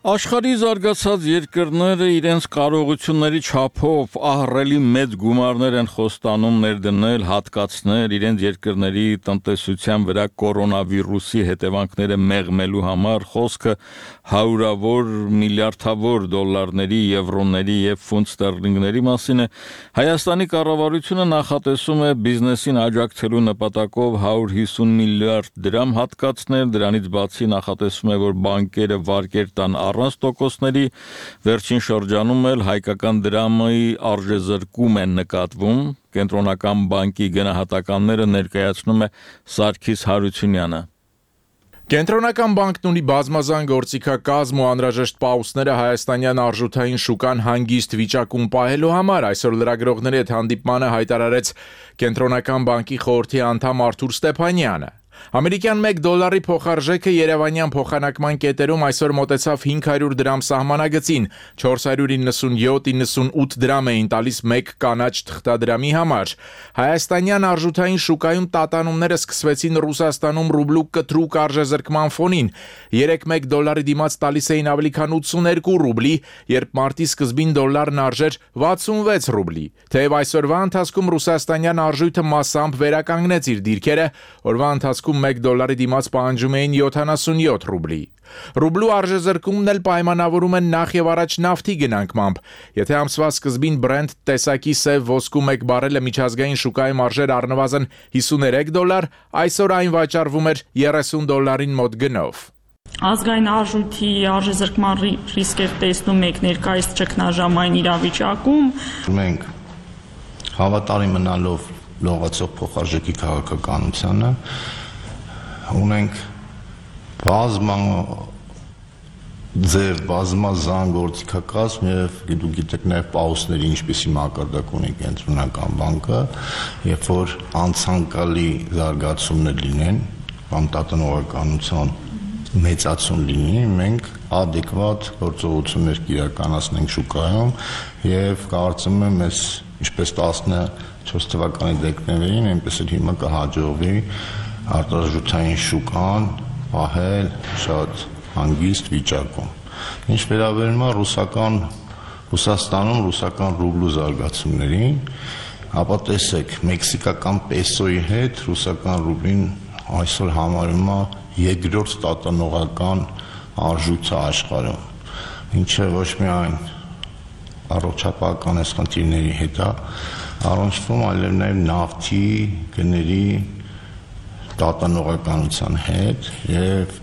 Աշխարհի զարգացած երկրները իրենց կարողությունների չափով ահռելի մեծ գումարներ են խոստանում ներդնել, հատկացնել իրենց երկրների տնտեսության վրա կորոնավիրուսի հետևանքները մեղմելու համար, խոսքը հարյուրավոր միլիարդավոր դոլարների, եվրոների եւ ֆունտ ստերլինգների մասին է։ Հայաստանի կառավարությունը նախատեսում է բիզնեսին աջակցելու նպատակով հարյուր հիսուն միլիարդ դրամ հատկացնել, դրանից բացի նախատեսվում է, որ բանկերը վարկեր տան առանց տոկոսների, վերջին շրջանում էլ հայկական դրամի արժեզրկում են նկատվում, Կենտրոնական բանկի գնահատականները ներկայացնում է Սարգիս Հարությունյանը։ Կենտրոնական բանկն ունի բազմազան գործիքակազմ ու անհրաժեշտ պաուսները հայաստանյան արժութային շուկան հանգիստ վիճակում պահելու համար այսօր լրագրողների հետ հանդիպմանը հայտարարեց Կենտրոնական բանկի խորհրդի անդամ Արթուր Ստեփանյանը։ Ամերիկյան մեկ դոլարի փոխարժեքը երևանյան փոխանակման կետերում այսօր մոտեցավ հինգ հարյուր դրամ սահմանագծին, չորս հարյուր իննսունյոթ իննսունութ դրամ էին տալիս մեկ կանաչ թղթադրամի համար։ Հայաստանյան արժութային շուկայում տատանումները սկսվեցին Ռուսաստանում ռուբլու կտրուկ արժեզրկման ֆոնին։ Երեկ մեկ դոլարի դիմաց տալիս էին ավելի քան ութսուներկու ռուբլի, երբ մարտի սկզբին դոլարն արժեր վաթսունվեց ռուբլի։ Թեև այսօրվա ընթացքում ռուսաստանյան արժույթը մասամբ վերականգնեց իր դիրքերը, օրվա ընթացքում մեկ դոլարի դիմաց պահանջում էին յոթանասունյոթ ռուբլի։ Ռուբլու արժեզրկումն էլ պայմանավորում են նախ եւ առաջ նավթի գնանկմամբ։ Եթե ամսվա սկզբին Brent տեսակի սև ոսկու մեկ բարելը միջազգային շուկայում արժեր առնվազն հիսուներեք դոլար, այսօր այն վաճառվում էր երեսուն դոլարին մոտ գնով։ Ազգային արժույթի արժեզրկման ռիսկեր տեսնում եք ներկայիս ճգնաժամային իրավիճակում։ Մենք հավատարիմ մնալով լողացող փոխարժեքի քաղաքականությանը ունենք բազմա ձեր բազմազան գործիքակազմ եւ դուք գիտեք նաեւ պաուսների ինչպեսի մակարդակ ունի կենտրոնական բանկը, երբ որ անցանկալի զարգացումներ լինեն, կամ տատանողականության մեծացում լինի, մենք adekvat գործողություններ կիրականացնենք շուկայում եւ կարծում եմ ես ինչպես տասնչորս թվականի դեկտեմբերին, այնպես էլ հիմա կհաջողվի արտարժութային շուկան պահել շատ հանգիստ վիճակում։ Ինչ վերաբերում է ռուսական Ռուսաստանում ռուսական ռուբլու զարգացումներին, ապա տեսեք, մեքսիկական պեսոյի հետ ռուսական ռուբլին այսօր համարվում է երկրորդ տատանողական արժույթը աշխարհում, ինչը ոչ միայն առողջապահական խնդիրների հետ է առնչվում, այլև նաև նավթի գների տատանողականության հետ եւ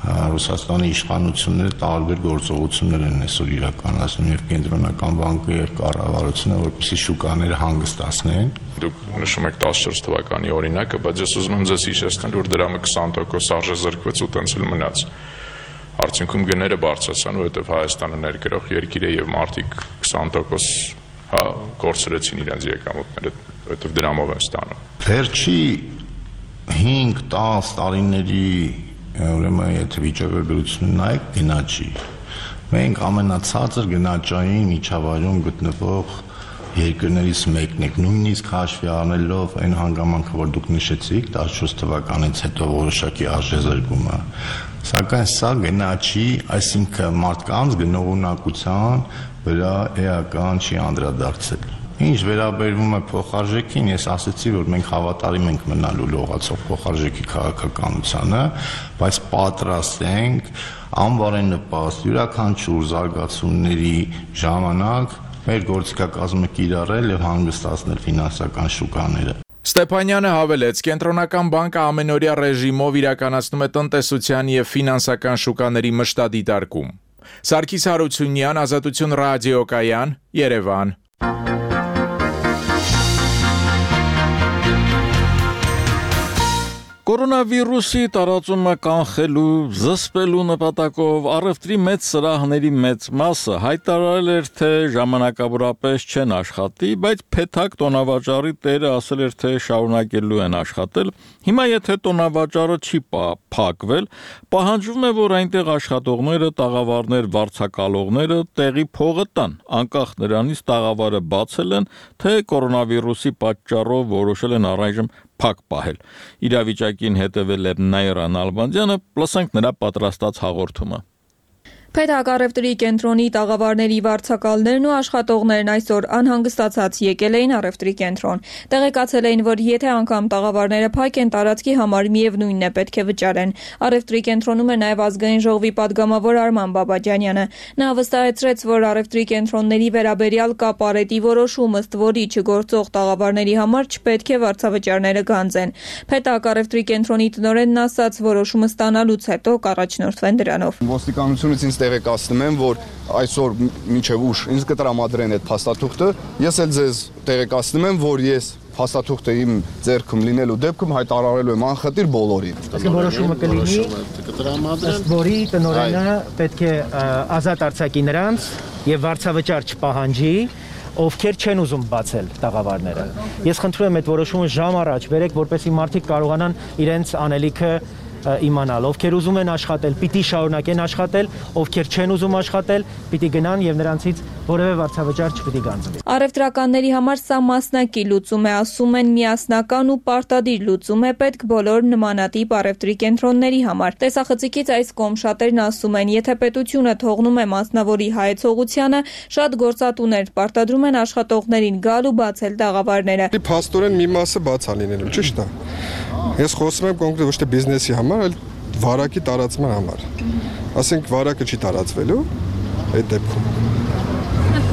Ռուսաստանի իշխանությունները տարբեր գործողություններ են այսօր իրականացնում եւ կենտրոնական բանկը եւ կառավարությունը, որպեսզի շուկաները հանգստացնեն։ Դուք նշում եք տասնչորս թվականի օրինակը, բայց ես ուզում եմ ձեզ հիշեցնել, որ դրամը քսան տոկոս արժեզրկվեց ու տենց էլ մնաց։ Արդյունքում գները բարձրացան, որովհետեւ Հայաստանը ներկրող երկիր է եւ մարդիկ քսան տոկոս հա կորցրեցին իրենց եկամուտները, որովհետեւ դրամով են ստանում։ Վերջի հինգ տասը տարիների ուրեմն եթե վիճակագրությունը նայեք գնաճի, մենք ամենացածր գնաճային միջավայրում գտնվող երկրներից մեկն ենք, նույնիսկ հաշվի առնելով այն հանգամանքը, որ դուք նշեցիք, տասնչորս թվականից հետո որոշակի արժեզրկումը, սակայն սա գնաճի, այսինքն մարդկանց գնողունակության վրա էական չի անդրադարձել։ Ինչ վերաբերվում է փոխարժեքին, ես ասացի, որ մենք հավատարիմ ենք մնալու լողացող փոխարժեքի քաղաքականությանը, բայց պատրաստ ենք անվարենպաստ յուրաքանչյուր զարգացումների ժամանակ մեր գործիքակազմը կիրառել եւ հանգստացնել ֆինանսական շուկաները։ Ստեփանյանը հավելեց, կենտրոնական բանկը ամենօրյա ռեժիմով իրականացնում է տնտեսության եւ ֆինանսական շուկաների մշտադիտարկում։ Սարգիս Հարությունյան, Ազատություն ռադիոկայան, Երևան։ Կորոնավիրուսի տարածումը կանխելու, զսպելու նպատակով առևտրի մեծ սրահների մեծ մասը հայտարարել էր, թե ժամանակավորապես չեն աշխատի, բայց փեթակ տոնավաճառի տերը ասել էր, թե շարունակելու են աշխատել։ Հիմա եթե տոնավաճառը չի փակվել, պահանջվում է, որ այնտեղ աշխատողները, տաղավարներ, վարձակալողները տեղի փողը տան, անկախ նրանից տաղավարը բացել են, թե կորոնավիրուսի պատճառով որոշել են առայժմ փակ պահել։ Իրավիճակին հետևել է Նաիրա Նալբանդյանը, լսենք նրա պատրաստած հաղորդումը։ Փեթակ առևտրի կենտրոնի տաղավարների վարձակալներն ու աշխատողներն այսօր անհանգստացած եկել էին առևտրի կենտրոն։ Տեղեկացել էին, որ եթե անգամ տաղավարները փակ են, տարածքի համար միևնույնն է պետք է վճարեն։ Առևտրի կենտրոնում է նաև ազգային ժողովի падգամավոր Արման Բաբաջանյանը։ Նա վստահեցրեց, որ առևտրի կենտրոնների վերաբերյալ կա պարետի որոշում, ըստ որի չգործող տաղավարների համար չպետք է վարձավճարները գանձեն։ Փեթակ առևտրի կենտրոնի տնօրենն ասաց, որոշումը ստանալուց հետո կառաջնորդվեն դրանով։ Ոստիկանությունից ինձ տեղեկացնում եմ, որ այսօր մինչև ուշ ինձ կտրամադրեն այդ փաստաթուղթը, ես էլ ձեզ տեղեկացնում եմ, որ ես փաստաթուղթը իմ ձեռքում լինելու դեպքում հայտարարելու եմ անխտիր բոլորին։ Իսկ որոշումը կլինի, ըստ որի տնօրենը պետք է ազատ արձակի նրանց եւ վարձավճար չպահանջի, ովքեր չեն ուզում բացել տաղավարները։ Ես խնդրում եմ այդ որոշումը ժամ առաջ բերեք, որպեսզի մարդիկ կարողանան իրենց անելիքը իմանալ, ովքեր ուզում են աշխատել, պիտի շարունակեն աշխատել, ովքեր չեն ուզում աշխատել, պիտի գնան եւ նրանցից որևէ վարձավճար չպիտի գանձվի։ Առևտրականների համար սա մասնակի լուծում է, ասում են, միասնական ու պարտադիր լուծում է պետք բոլոր նմանատիպ առևտրի կենտրոնների համար։ Տեսախցիկից այս կողմ շատերն ասում են, եթե պետությունը թողնում է մասնավորի հայեցողությանը, շատ գործատուներ պարտադրում են աշխատողներին գալ ու բացել տաղավարները։ Փաստորեն մի մասը բաց է լինելու, ճիշտ է։ Ես խոսում եմ կոնկրետ ոչ թե բիզնեսի համար, այլ վարակի տարածման համար։ Ասենք վարակը չի տարածվելու այդ դեպքում։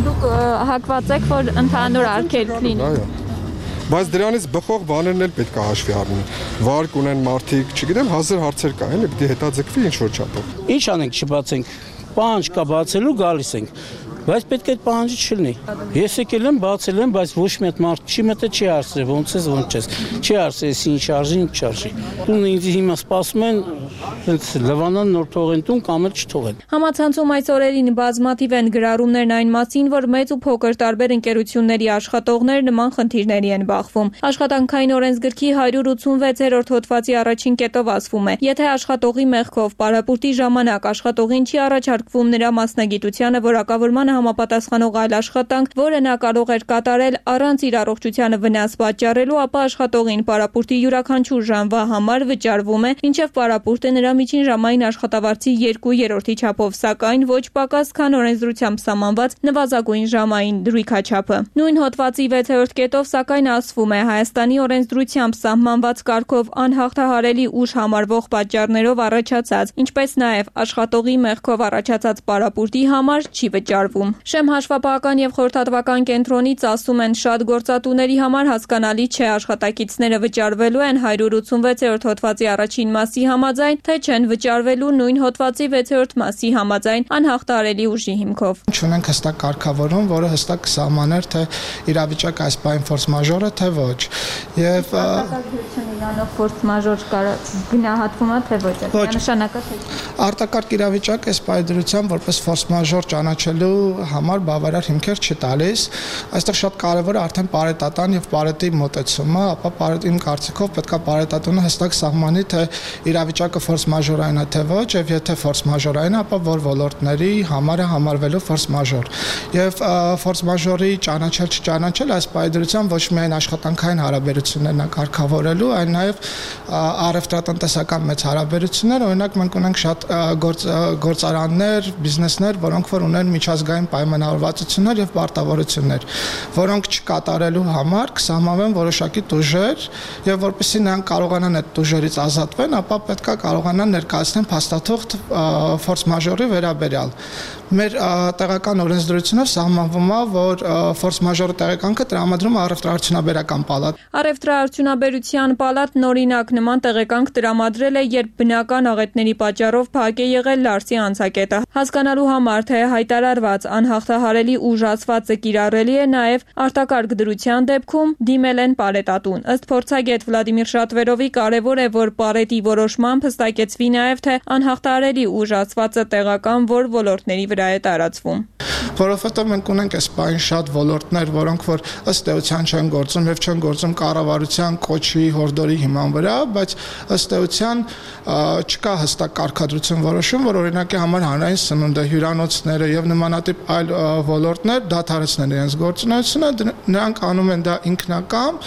Դուք հակված եք, որ ընդհանուր արգելք լինի։ Այո։ Բայց դրանից բխող բաներն էլ պետք է հաշվի առնել։ Վարկ ունեն մարդիկ, չգիտեմ, հազար հարցեր կա, էլի պիտի հետաձգվի ինչ որ չափով։ Ինչ անենք, չբացենք։ Պահանջ կա բացելու, գալիս ենք։ բայց պետք է այդ պահանջը չլինի։ Ես եկել եմ, բացել եմ, բայց ոչ մի հատ մարդ չի մտե, չի հարցրել, ոնց ես, ոնց չես։ Չի հարցրել, ինչ արժի, ինչ չարժի։ Տունը ինձ հիմա սպասում են, այնց լվանան նոր թողեն տուն կամ էլ չթողեն։ Համացանցում այս օրերին բազմաթիվ են գրառումներն այն մասին, որ մեծ ու փոքր տարբեր ընկերությունների աշխատողներ նման խնդիրների են բախվում։ Աշխատանքային օրենսգրքի հարյուր ութսունվեցերորդ հոդվածի առաջին կետով ասվում է. եթե աշխատողի մեղքով պարապուրտի ժամանակ աշխատողին չի առաջարկվում նրա մասնագիտությանը որակավորմանը համապատասխանող այլ աշխատանք, որը նա կարող էր կատարել առանց իր առողջությանը վնաս պատճառելու, ապա աշխատողին պարապուրտի յուրաքանչյուր ժամվա համար վճարվում է, մինչև պարապուրտը նրա միջին ժամային աշխատավարձի երկու երրորդի չափով, սակայն ոչ պակաս, քան օրենսդրությամբ սահմանված նվազագույն ժամային դրույքաչափը։ Նույն հոդվածի վեցերորդ կետով սակայն ասվում է Հայաստանի օրենսդրությամբ սահմանված կարգով անհաղթահարելի ուժ համարվող պատճառներով առաջացած, ինչպես նաև աշխատողի մեղքով առաջացած պարապուրտի համար չի վճարվում։ Շեմ հաշվապահական եւ խորհրդատվական կենտրոնից ասում են, շատ գործատուների համար հասկանալի չէ աշխատակիցները վճարվելու են հարյուր ութսունվեցերորդ հոդվածի առաջին մասի համաձայն, թե չեն վճարվելու նույն հոդվածի վեցերորդ մասի համաձայն անհաղթահարելի ուժի հիմքով։ Չունենք հստակ կարգավորում, որը հստակ կսահմաներ, թե իրավիճակը այս բան ֆորս մաժոր է, թե ոչ։ Եվ իրանով ֆորս մաժոր գնահատվում է, թե ոչ։ Նշանակա թե արտակարգ իրավիճակը այս պայմանությամբ որպես ֆորս մաժոր ճանաչելու համար բավարար հիմքեր չի տալիս։ Այստեղ շատ կարևոր է արդեն պարետատան եւ պարետի մոտեցումը, ապա պարետ իմ կարծիքով պետք է պարետատունը հստակ սահմանի, թե իրավիճակը ֆորս մաժորային է, թե ոչ, եւ եթե ֆորս մաժորային է, ապա որ ոլորտների համար է համարվելու ֆորս մաժոր։ Եվ ֆորս մաժորի ճանաչել չճանաչել այս պայմանությամբ ոչ միայն աշխատանքային հարաբերություններն է կարգավորելու, այլ նաեւ առևտրատնտեսական մեծ հարաբերություններ, օրինակ մենք ունենք շատ գործարաններ, բիզնեսներ, որոնք որ ունեն միջազգային պայմանավորվածություններ եւ պարտավորություններ, որոնք չկատարելու համար կսահմանվեն որոշակի տուժեր եւ որպեսզի նրանք կարողանան այդ տուժերից ազատվեն, ապա պետքա կարողանան ներկայացնել փաստաթուղթ ֆորս մաժորի վերաբերյալ։ Մեր տեղական օրենսդրությունով սահմանվում է, որ ֆորս մաժորի տեղեկանքը տրամադրում է առևտրաարդյունաբերական պալատ։ Առևտրաարդյունաբերության պալատն օրինակ նման տեղեկանք տրամադրել է, երբ բնական աղետների պատճառով փակ է եղել Լարսի անցակետը։ Հասկանալու համար, թե հայտարարված անհաղթահարելի ուժ ասվածը կիրառելի է նաև արտակարգ դրության դեպքում դիմել են պարետատուն։ Ըստ փորձագետ Վլադիմիր Շատվերովի կարևոր է, որ պարետի որոշմամբ հստակեցվի նաև, թե անհաղթահարելի ուժ ասվածը տեղական որ ոլորտների վրա է տարածվում։ Որովհետև մենք ունենք այս բան շատ ոլորտներ, որոնք որ ըստ էության չեն գործում եւ չեն գործում կառավարության կոչի հորդորի հիման վրա, բայց ըստ էության չկա հստակ կարգադրություն որոշում, որ օրինակի համար հանրային սնունդը, հյուրանոցները եւ նմանատիպ այլ ոլորտներ դադարեցնեն իրենց գործունեությունը, նրանք անում են դա ինքնակամ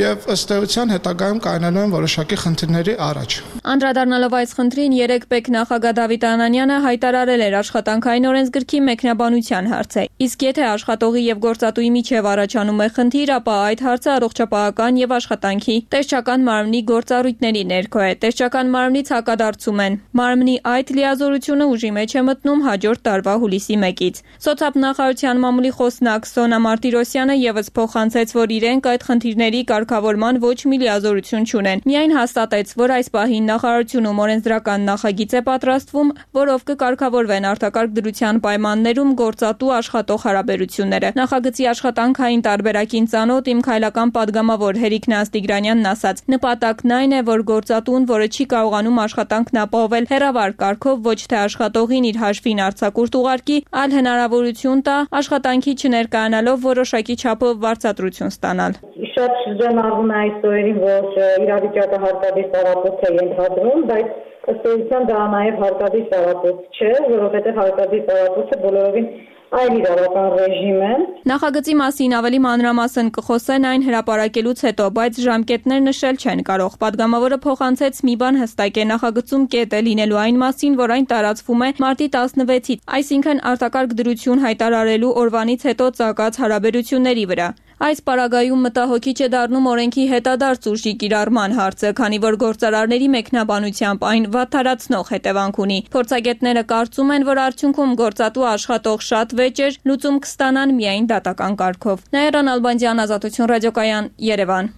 եւ ըստ էության հետագայում կայանալու են որոշակի խնդիրների առաջ։ Անդրադառնալով այս խնդրին երեք պետնախագահ Դավիթ Անանյանը հայտարարել էր աշխատանքային օրենսգրքի մեկնաբանության հարցը։ Իսկ եթե աշխատողի եւ գործատուի միջև առաջանում է խնդիր, ապա այդ հարցը առողջապահական եւ աշխատանքի տեսչական մարմնի գործառույթների ներքո է։ Տեսչական մարմնից հակադարձում են։ Մարմնի այդ լիազորությունը ուժի մեջ է մտնում հաջորդ տարվա հուլիսի մեկից։ Սոցիալ-նախարարության մամուլի խոսնակ Սոնա Մարտիրոսյանը եւս փոխանցեց, որ իրենք այդ խնդիրների կարգավորման ոչ մի լիազորություն չունեն։ Միայն հաստատեց, որ այս պահին նախարարությունում օրենսդրական նախագիծ է պատրաստվում, որով կկարգավորվեն արտակարգ դրության պայմաններում գործատու աշխատող հարաբերությունները։ Նախագծի աշխատանքային տարբերակին ծանոթ իմ քայլական падգամավոր Հերիկ Նաստիգրանյանն ասաց. նպատակն այն է, որ գործատուն, որը չի կարողանում աշխատանքն ապահովել հեռավար կարգով, ոչ թե աշխատողին իր հաշվին արձակուրդ ուղարկի, այլ հնարավորություն տա աշխատանքի չներկայանալով որոշակի չափով վարձատրություն ստանալ։ Շատ շրջանառվում է այս օրերին, որ իրավիճակը հարկադիր տարածված է ենթադրում, բայց ըստ էության դա նաև հարկադիր տարածված չէ, որովհետև հարկադիր տարածվածը բոլորովին այլ իրավական ռեժիմ է։ Նախագծի մասին ավելի մանրամասն կխոսեն այն հրապարակելուց հետո, բայց ժամկետներ նշել չեն կարող։ Պատգամավորը փոխանցեց մի բան հստակ է, նախագծում կետ է լինելու այն մասին, որ այն տարածվում է մարտի տասնվեցից, այսինքն արտակարգ դրություն հայտարարելու օրվանից հետո ծագած հարաբերությունների վրա։ Այս պարագայում մտահոգիչ է դառնում օրենքի հետադարձ ուժի կիրառման հարցը, քանի որ գործարարների մեկնաբանությամբ այն վատթարացնող հետևանք ունի։ Փորձագետները կարծում են, որ արդյունքում գործատու աշխատող շատ վեճեր լուծում կստանան միայն դատական կարգով։ Նաիրա Նալբանդյան, Ազատություն ռադիոկայան, Երևան։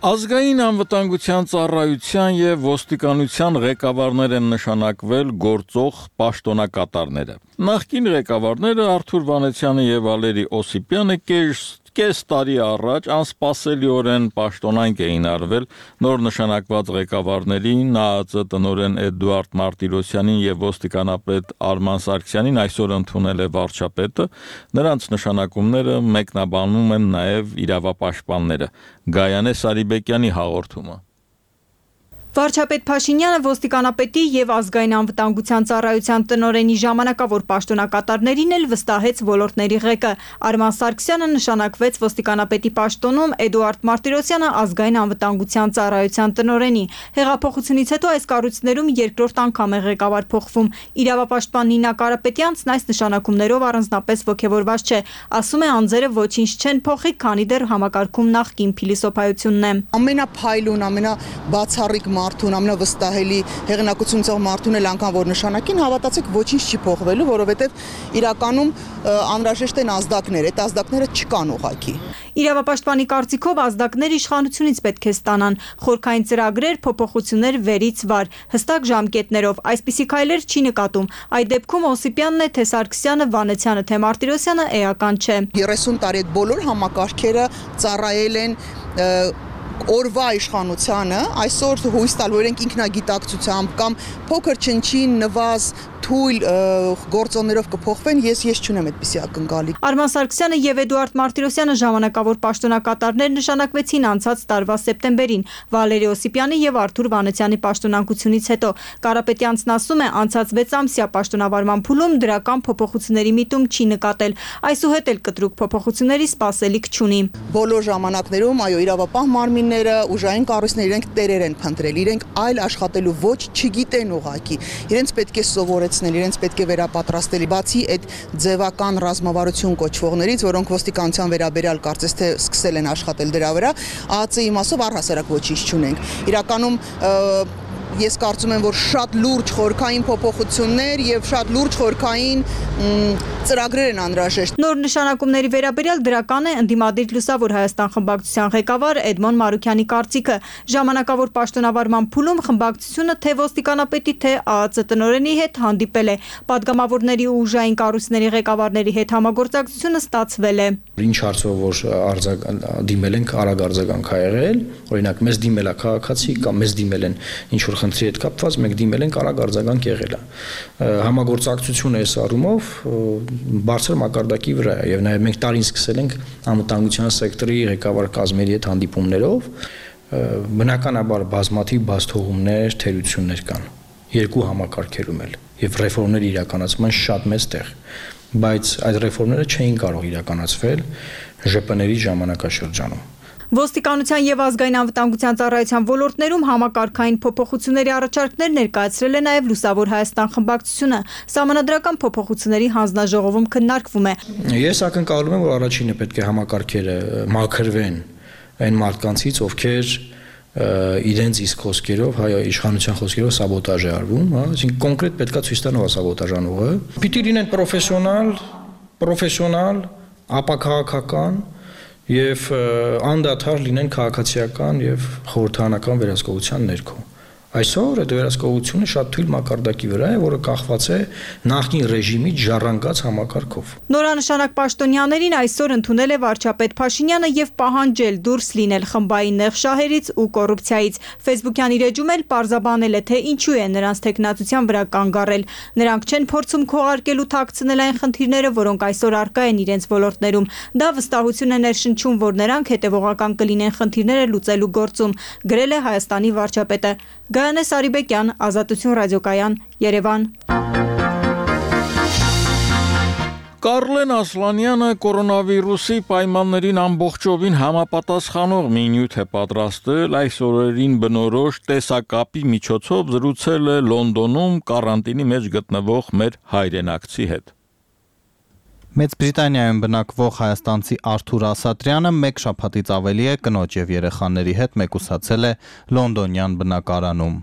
Ազգային անվտանգության ծառայության եւ ոստիկանության ղեկավարներ են նշանակվել գործող պաշտոնակատարները։ Նախկին ղեկավարները Արթուր Վանեցյանը եւ Վալերի Օսիպյանը կես տարի առաջ անսպասելիորեն պաշտոնանկ էին արվել նոր նշանակված ղեկավարներին ՆԱԱԾ տնօրեն Էդուարդ Մարտիրոսյանին եւ ոստիկանապետ Արման Սարգսյանին այսօր ընդունել է վարչապետը, նրանց նշանակումները մեկնաբանում են նաեւ իրավապաշտպանները։ Գայանե Սարիբեկյանի հաղորդումը։ Վարչապետ Փաշինյանը ոստիկանապետի եւ ազգային անվտանգության ծառայության տնօրենի ժամանակավոր պաշտոնակատարներին էլ վստահեց ոլորտների ղեկը։ Արման Սարգսյանը նշանակվեց ոստիկանապետի պաշտոնում, Էդուարդ Մարտիրոսյանը ազգային անվտանգության ծառայության տնօրենի։ Հեղափոխությունից հետո այս կառույցներում երկրորդ անգամ է ղեկավար փոխվում։ Իրավապաշտպան Նինա Կարապետյանցն այս նշանակումներով առանձնապես ոգևորված չէ, ասում է անձերը ոչինչ չեն փոխի, քանի դեռ համակարգում նախկին փիլիսոփայությունն է։ Ամենափայլուն, ամենաբացառիկ մարդուն, ամենավստահելի հեղինակություն ծող մարդուն էլ անգամ որ նշանակին, հավատացեք ոչինչ չի փոխվելու, որովհետև իրականում անհրաժեշտ են ազդակներ, այդ ազդակները չկան ուղղակի։ Իրավապաշտպանի կարծիքով ազդակներ իշխանությունից պետք է ստանան, խորքային ծրագրեր, փոփոխություններ վերից վար, հստակ ժամկետներով, այսպիսի քայլեր չի նկատում։ Այդ դեպքում Օսիպյանն է, թե Սարգսյանը, Վանեցյանը, թե Մարտիրոսյանը էական չէ։ երեսուն տարի այդ բոլոր համակարգերը ծառայել են օրվա իշխանությանը, այսօր հույս տալ, որ իրենք ինքնագիտակցությամբ կամ փոքր չնչին նվազ թույլ գործոններով կփոխվեն, ես ես չունեմ այդպիսի ակնկալիք։ Արման Սարգսյանը եւ Էդուարդ Մարտիրոսյանը ժամանակավոր պաշտոնակատարներ նշանակվեցին անցած տարվա սեպտեմբերին, Վալերի Օսիպյանի եւ Արթուր Վանեցյանի պաշտոնակությունից հետո։ Կարապետյանցն ասում է, անցած վեց ամսյա պաշտոնավարման փուլում դրական փոփոխությունների միտում չի նկատել, այսուհետ էլ կտրուկ փոփոխությունների սպասելիք չունի։ Բոլոր ժամանակներում այո, իրավապահ մարմինները, ուժային կառույցները իրենք տերեր են փնտրել, իրենք այլ աշխատելու ոչ չգիտեն ուղղակի, իրենց պետք է սովորեցնել, իրենց պետք է վերապատրաստել, բացի այդ ձևական ռազմավարություն կոչվողներից, որոնք ոստիկանության վերաբերյալ կարծես թե սկսել են աշխատել դրա վրա, ԱԱԾ-ի մասով առհասարակ ոչինչ չունենք։ Իրականում ես կարծում եմ, որ շատ լուրջ խորքային փոփոխություններ եւ շատ լուրջ խորքային ծրագրեր են անհրաժեշտ։ Նոր նշանակումների վերաբերյալ դրական է ընդդիմադիր Լուսավոր Հայաստան խմբակցության ղեկավար Էդմոն Մարուքյանի կարծիքը։ Ժամանակավոր պաշտոնավարման փուլում խմբակցությունը թե ոստիկանապետի, թե ԱԱԾ տնօրենի հետ հանդիպել է։ Պատգամավորների ու ուժային կառույցների ղեկավարների հետ համագործակցությունը ստացվել է։ Ինչ հարցով որ դիմել ենք, արագ արձագանք ա եղել, օրինակ մեզ դիմել է քաղաքացի կամ մեզ դիմել են ինչ որ խնդրի հետ կապված, մենք դիմել ենք, արագ արձագանք եղել է։ Համագործակցությունը այս առումով բարձր մակարդակի վրա է եւ նաեւ մենք տարին սկսել ենք անվտանգության սեկտորի ղեկավար կազմերի հետ հանդիպումներով, բնականաբար բազմաթիվ բացթողումներ, թերություններ կան երկու համակարգերում էլ եւ ռեֆորմներ իրականացման շատ մեծ տեղ, բայց այդ ռեֆորմները չէին կարող իրականացվել ԺՊՆ-երի ժամանակաշրջանում։ Ոստիկանության եւ ազգային անվտանգության ծառայության ոլորտներում համակարգային փոփոխությունների առաջարկներ ներկայացրել է նաեւ Լուսավոր Հայաստան խմբակցությունը։ Սահմանադրական փոփոխությունների հանձնաժողովում քննարկվում է։ Ես ակնկալում եմ, որ առաջինը պետք է համակարգերը մաքրվեն այն մարդկանցից, ովքեր իրենց իսկ խոսքերով, հայ իշխանության խոսքերով սաբոտաժ է արվում, հա, այսինքն կոնկրետ պետքա ցույց տան ով է սաբոտաժանողը։ Պիտի լինեն պրոֆեսիոնալ, պրոֆեսիոնալ, ապաքաղաքական եւ անդադար լինեն քաղաքացիական եւ խորհրդարանական վերահսկողության ներքո։ Այսօր այդ վերահսկողությունը շատ թույլ մակարդակի վրա է, որը կախված է նախկին ռեժիմի ժառանգած համակարգով։ Նորանշանակ պաշտոնյաներին այսօր ընդունել է վարչապետ Փաշինյանը եւ պահանջել դուրս լինել խմբային նեղ շահերից ու կոռուպցիայից։ Facebook-յան իր էջում էլ պարզաբանել է, թե ինչու է նրանց տեխնացության վրա կանգ առել։ Նրանք չեն փորձում քողարկել ու թաքցնել այն խնդիրները, որոնք այսօր առկա են իրենց ոլորտներում։ Դա վստահություն է ներշնչում, որ նրանք հետևողական կլինեն խնդիրները լուծելու գործում, գրել է Հայաստանի վարչապետը։ Գայանե Սարիբեկյան, Ազատություն ռադիոկայան, Երևան։ Կարլեն Ասլանյանը կորոնավիրուսի պայմաններին ամբողջովին համապատասխանող մի նյութ է պատրաստել, այս օրերին բնորոշ տեսակապի միջոցով զրուցել է Լոնդոնում կարանտինի մեջ գտնվող մեր հայրենակցի հետ։ Մեծ Բրիտանիայում բնակվող հայաստանցի Արթուր Ասատրյանը մեկ շաբաթից ավելի է կնոջ եւ երեխաների հետ մեկուսացել է լոնդոնյան բնակարանում։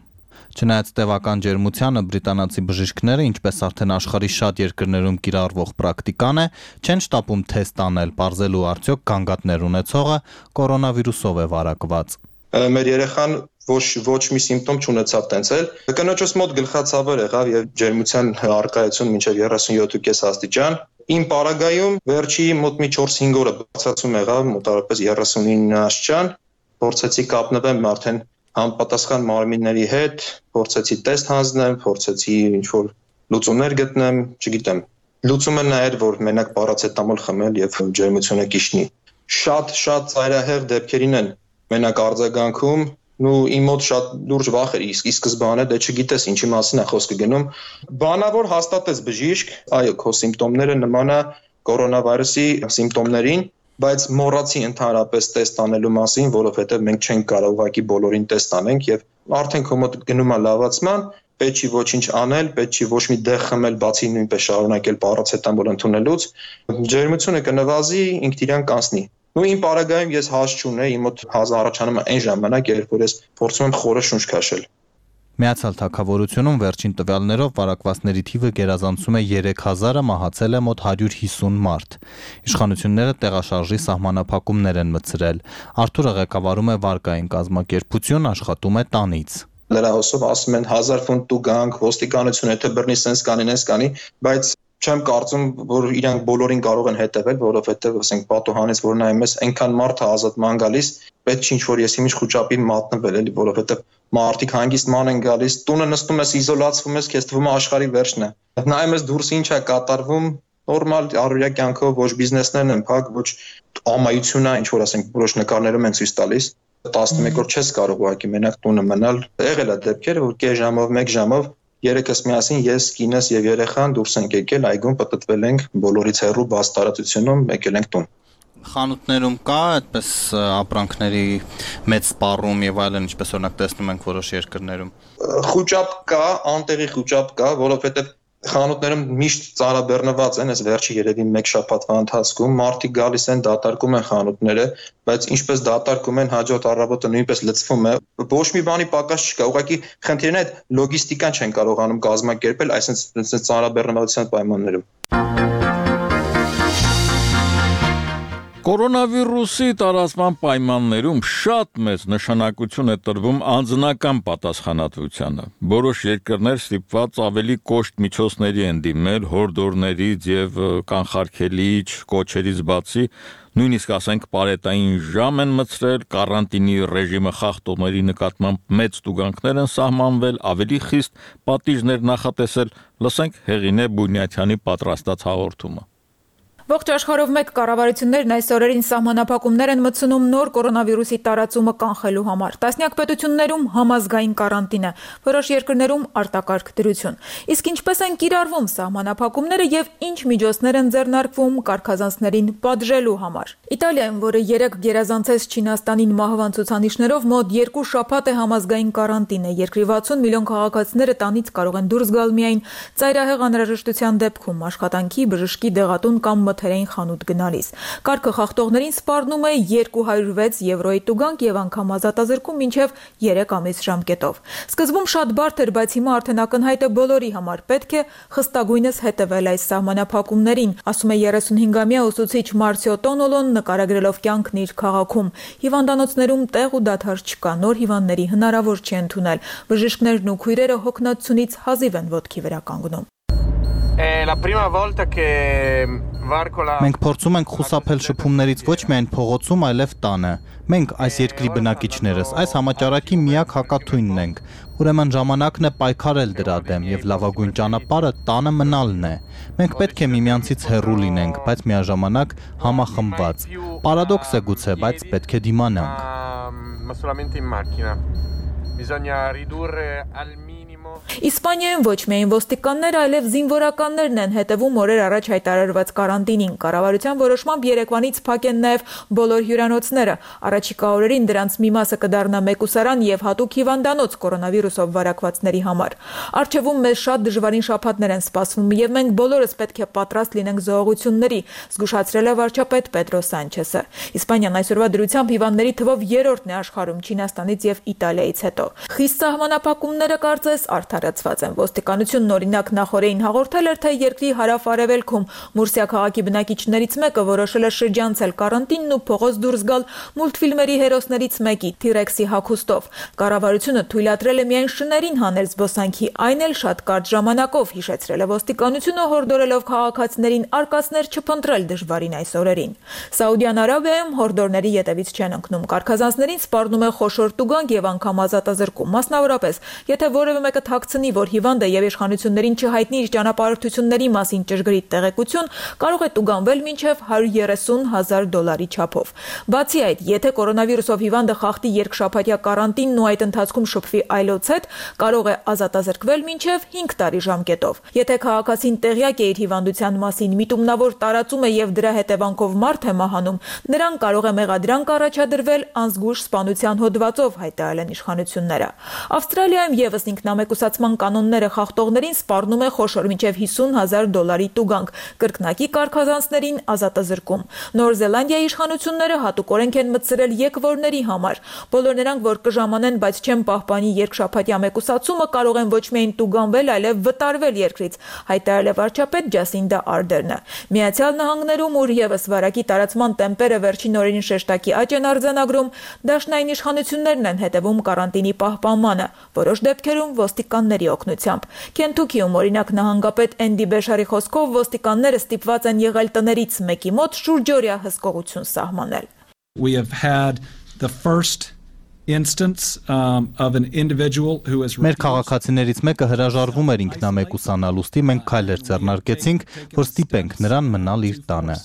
Չնայած տևական ջերմությանը բրիտանացի բժիշկները, ինչպես արդեն աշխարհի շատ երկրներում կիրառվող պրակտիկան է, չեն շտապում թեստ անել, պարզելու արդյոք գանգատներ ունեցողը կորոնավիրուսով է վարակված։ մեր երեխան ոչ ոչ մի սիմպտոմ չունեցավ տենցել։ Կնոջս մոտ գլխացավեր եղավ եւ ջերմության առկայություն մինչեւ երեսունյոթ կես աստիճան։ Իմ պարագայում վերջի մոտ մի չորս-հինգ օրը բացացում եղավ մոտավորապես երեսունինը աստիճան։ Փորձեցի կապնվեմ արդեն համապատասխան մարմինների հետ, փորձեցի տեստ հանձնեմ, փորձեցի ինչ-որ լուծումներ գտնեմ, չգիտեմ։ Լուծումը նա էր, որ մենակ պարացետամոլ խմել եւ ջերմությունը կիշնի։ Շատ շատ ծայրահեղ դեպքերին են մենակ արձագանքում, ու իմ մոտ շատ լուրջ վախ էր, իսկ ի սկզբանե դե չգիտես ինչի մասին է խոսքը գնում։ Բանավոր հաստատեց բժիշկ, այո, քո սիմպտոմները նման է կորոնավիրուսի սիմպտոմներին, բայց մոռացի ընդհանրապես տեստ անելու մասին, որովհետև մենք չենք կարող ուղղակի բոլորին տեստ անենք եւ արդեն քո մոտ գնում է լավացման, պետք չի ոչինչ անել, պետք չի ոչ մի դեղ խմել, բացի նույնպես շարունակել պարացետամոլ ընդունելուց, ջերմությունը կնվազի, ինքն իրան կանցնի։ Ու իմ պարագայում ես հաշ չունեի, իմ մոտ հազ առաջանում է այն ժամանակ, երբ որ ես փորձում եմ խորը շունչ քաշել։ Միացյալ Թագավորությունում վերջին տվյալներով վարակվածների թիվը գերազանցում է երեք հազարը, մահացել է մոտ հարյուր հիսուն մարդ։ Իշխանությունները տեղաշարժի սահմանափակումներ են մտցրել։ Արթուրը ղեկավարում է վարկային կազմակերպություն, աշխատում է տանից։ Լրահոսով ասում են հազար ֆունտ դու գանք, ոստիկանությունը թե բռնի սենց կանի, նենց կանի, բայց չեմ կարծում, որ իրանք բոլորին կարող են հետևել, որովհետև ասենք պատոհանից որ նայում ես այնքան մարդ է ազատման գալիս, պետք չի ինչ-որ եսի ինչ խոճապի մատնվել էլի, որովհետև մարդիկ հանգիստ ման են գալիս, տունը նստում ես, իզոլացվում ես, քեզ թվում է աշխարհի վերջն է։ Նայում ես դուրս ինչ է կատարվում, նորմալ առօրյա կյանքով ոչ բիզնեսներն են փակ, ոչ ամայությունն է, ինչ որ ասենք որոշ նկարներում են ցույց տալիս։ տասնմեկ օր չես կարող ուղղակի մենակ տունը մնալ։ Եղել է դեպքեր, որ կես ժամով, մեկ ժամով երեքս միասին ես, կինս եւ երեխան դուրս ենք եկել այգում, պտտվել ենք բոլորից հեռու բաց տարածությունում, եկել ենք տուն։ Խանութներում կա այդպես ապրանքների մեծ սպառում եւ այլն, ինչպես օրինակ տեսնում ենք որոշ երկրներում։ Խոճապ կա, անտեղի խոճապ կա, որովհետեւ խանութներում միշտ ծառաբեռնված են, այս վերջի երևի մեկ շաբաթվա ընթացքում մարդիկ գալիս են, դատարկում են խանութները, բայց ինչպես դատարկում են, հաջորդ առավոտը նույնպես լցվում է։ Ոչ մի բանի պակաս չկա, ուղղակի խնդիրն է լոգիստիկան չեն կարողանում կազմակերպել այսպես ծառաբեռնվածության պայմաններում։ Կորոնավիրուսի տարածման պայմաններում շատ մեծ նշանակություն է տրվում անձնական պատասխանատվությանը։ Որոշ երկրներ ստիպված ավելի կոշտ միջոցների են դիմել հորդորներից եւ կանխարգելիչ կոչերից բացի, նույնիսկ ասենք պարետային ժամ են մցրել, կարանտինի ռեժիմը խախտողների նկատմամբ մեծ տուգանքներ են սահմանվել, ավելի խիստ պատիժներ նախատեսել։ Լսենք Հեղինե Բունյաթյանի պատրաստած հաղորդումը։ Ողջ աշխարհով մեկ կառավարություններն այս օրերին սահմանափակումներ են մտցնում նոր կորոնավիրուսի տարածումը կանխելու համար։ Տասնյակ պետություններում համազգային կարանտին է, որոշ երկրներում արտակարգ դրություն։ Իսկ ինչպես են կիրառվում սահմանափակումները եւ ինչ միջոցներ են ձեռնարկվում կարգազանցներին պատժելու համար։ Իտալիայում, որը երեք գերազանցեց Չինաստանին մահվան ցուցանիշներով, մոտ երկու շաբաթ է համազգային կարանտին է։ Երկրի վաթսուն միլիոն քաղաքացիները տանից կարող են դուրս գալ միայն ծայրահեղ անհրաժեշտության դեպքում, աշխատանքի, բժշկի, դեղատուն կամ մթերային խանութ գնալիս։ Կարգը խախտողներին սպառնում է երկու հարյուր վեց եվրոյի տուգանք եւ անգամ ազատազրկում մինչեւ երեք ամիս ժամկետով։ Սկզբում շատ բարդ էր, բայց հիմա արդեն ակնհայտ է բոլորի համար պետք է խստագույնս հետևել այս սահմանափակումներին, ասում է երեսունհինգամյա ուսուցիչ Մարցիո Տոնոլոն, նկարագրելով կյանքն իր քաղաքում։ Հիվանդանոցներում տեղ ու դադար չկա, նոր հիվանդների հնարավոր չի ընդունել։ Բժիշկներն ու քույրերը հոգնածությունից հազիվ են ոտքի վրա կանգնում։ Մենք փորձում ենք խուսափել շփումներից ոչ միայն փողոցում, այլև տանը։ Մենք այս երկրի բնակիչներս այս համաճարակի միակ հակաթույնն ենք։ Ուրեմն ժամանակն է պայքարել դրա դեմ եւ լավագույն ճանապարհը տանը մնալն է։ Մենք պետք է միմյանցից հեռու լինենք, բայց միաժամանակ համախմբված։ Պարադոքս է գուցե, բայց պետք է դիմանանք։ Իսպանիայում ոչ միայն ոստիկանները, այլև զինվորականներն են հետևում օրեր առաջ հայտարարված կարանտինին։ Կառավարության որոշմամբ երեկվանից փակ են նաև բոլոր հյուրանոցները։ Առաջիկա օրերին դրանց մի մասը կդառնա մեկուսարան եւ հատուկ հիվանդանոց կորոնավիրուսով վարակվածների համար։ Առջևում մեզ շատ դժվարին շաբաթներ են սպասվում եւ մենք բոլորս պետք է պատրաստ լինենք զոհողությունների, զգուշացրել է վարչապետ Պետրո Սանչեսը։ Իսպանիան այսօրվա դրությամբ հիվանդների թվով երրորդն է աշխարհում Չինաստանից եւ Իտալիայից հետո։ Խիստ սահմանափակումները կարծես արդարացված են։ Ոստիկանությունն օրինակ նախորդին հաղորդել էր, թե երկրի հարավ-արևելքում Մուրսիա քաղաքի բնակիչներից մեկը որոշել է շրջանցել կարանտինն ու փողոց դուրս գալ մուլտֆիլմերի հերոսներից մեկի T-Rex-ի հագուստով։ Կառավարությունը թույլատրել է միայն շներին հանել զբոսանքի, այն էլ շատ կարճ ժամանակով, հիշեցրել է ոստիկանությունը, հորդորելով քաղաքացիներին արկածներ չփնտրել դժվարին այս օրերին։ Սաուդյան Արաբիայում հորդորների ետևից չեն ընկնում։ Կարգազանցներին սպառնում է խոշոր տուգանք եւ անգամ ազատազրկում։ Մասնավորապես, եթե որևէ մեկը թաքցնի, որ հիվանդ է եւ իշխանություններին չհայտնի իր ճանապարհորդությունների մասին ճշգրիտ տեղեկություն, կարող է տուգանվել մինչեւ հարյուր երեսուն հազար դոլարի չափով։ Բացի այդ, եթե կորոնավիրուսով հիվանդը խախտի երկշաբաթյա կարանտինն ու այդ ընթացքում շփվի այլոց հետ, կարող է ազատազրկվել մինչեւ հինգ տարի ժամկետով։ Եթե քաղաքացին տեղյակ է իր հիվանդության մասին, միտումնավոր տարածում է եւ դրա հետևանքով մարդ է մահանում, նրան կարող է մեղադրանք առաջադրվել անզգույշ սպանության հոդվածով, հայտարարել են իշխանությունները։ Ավստրալիայում եւս ինքնամեկուսացման կանոնները խախտողներին սպառնում է խոշոր մինչեւ հիսուն հազար դոլարի տուգանք, կրկնակի կարգազանցներին ազատազրկում։ Նոր Զելանդիայի իշխանությունները հատուկ օրենք են մտցրել եկվորների համար։ Բոլոր նրանք, որ կժամանեն, բայց չեն պահպանի երկշաբաթյա մեկուսացումը, կարող են ոչ միայն տուգանվել, այլև վտարվել երկրից, հայտարարել է վարչապետ Ջասինդա Արդերնը։ Միացյալ Նահանգներում, ուր եւս վարակի տարածման տեմպերը վերջին օրերին շեշտակի աճ են արձանագրում, դաշնային իշխանություններն են հետևում կարանտինի պահպանմանը, որոշ դեպքերում ոստիկանների օգնությամբ։ Քենթուքիում, օրինակ, նահանգապետ Էնդի Բեշարի խոսքով ոստիկանները ստիպված են եղել տներից մեկի մոտ շուրջօրյա հսկողություն սահմանել։ We have had the first instance um, of an individual who is Մեր քաղաքացիներից մեկը հրաժարվում էր ինքնամեկուսանալ, ուստի մենք քայլեր ձեռնարկեցինք, որ ստիպենք նրան մնալ իր տանը։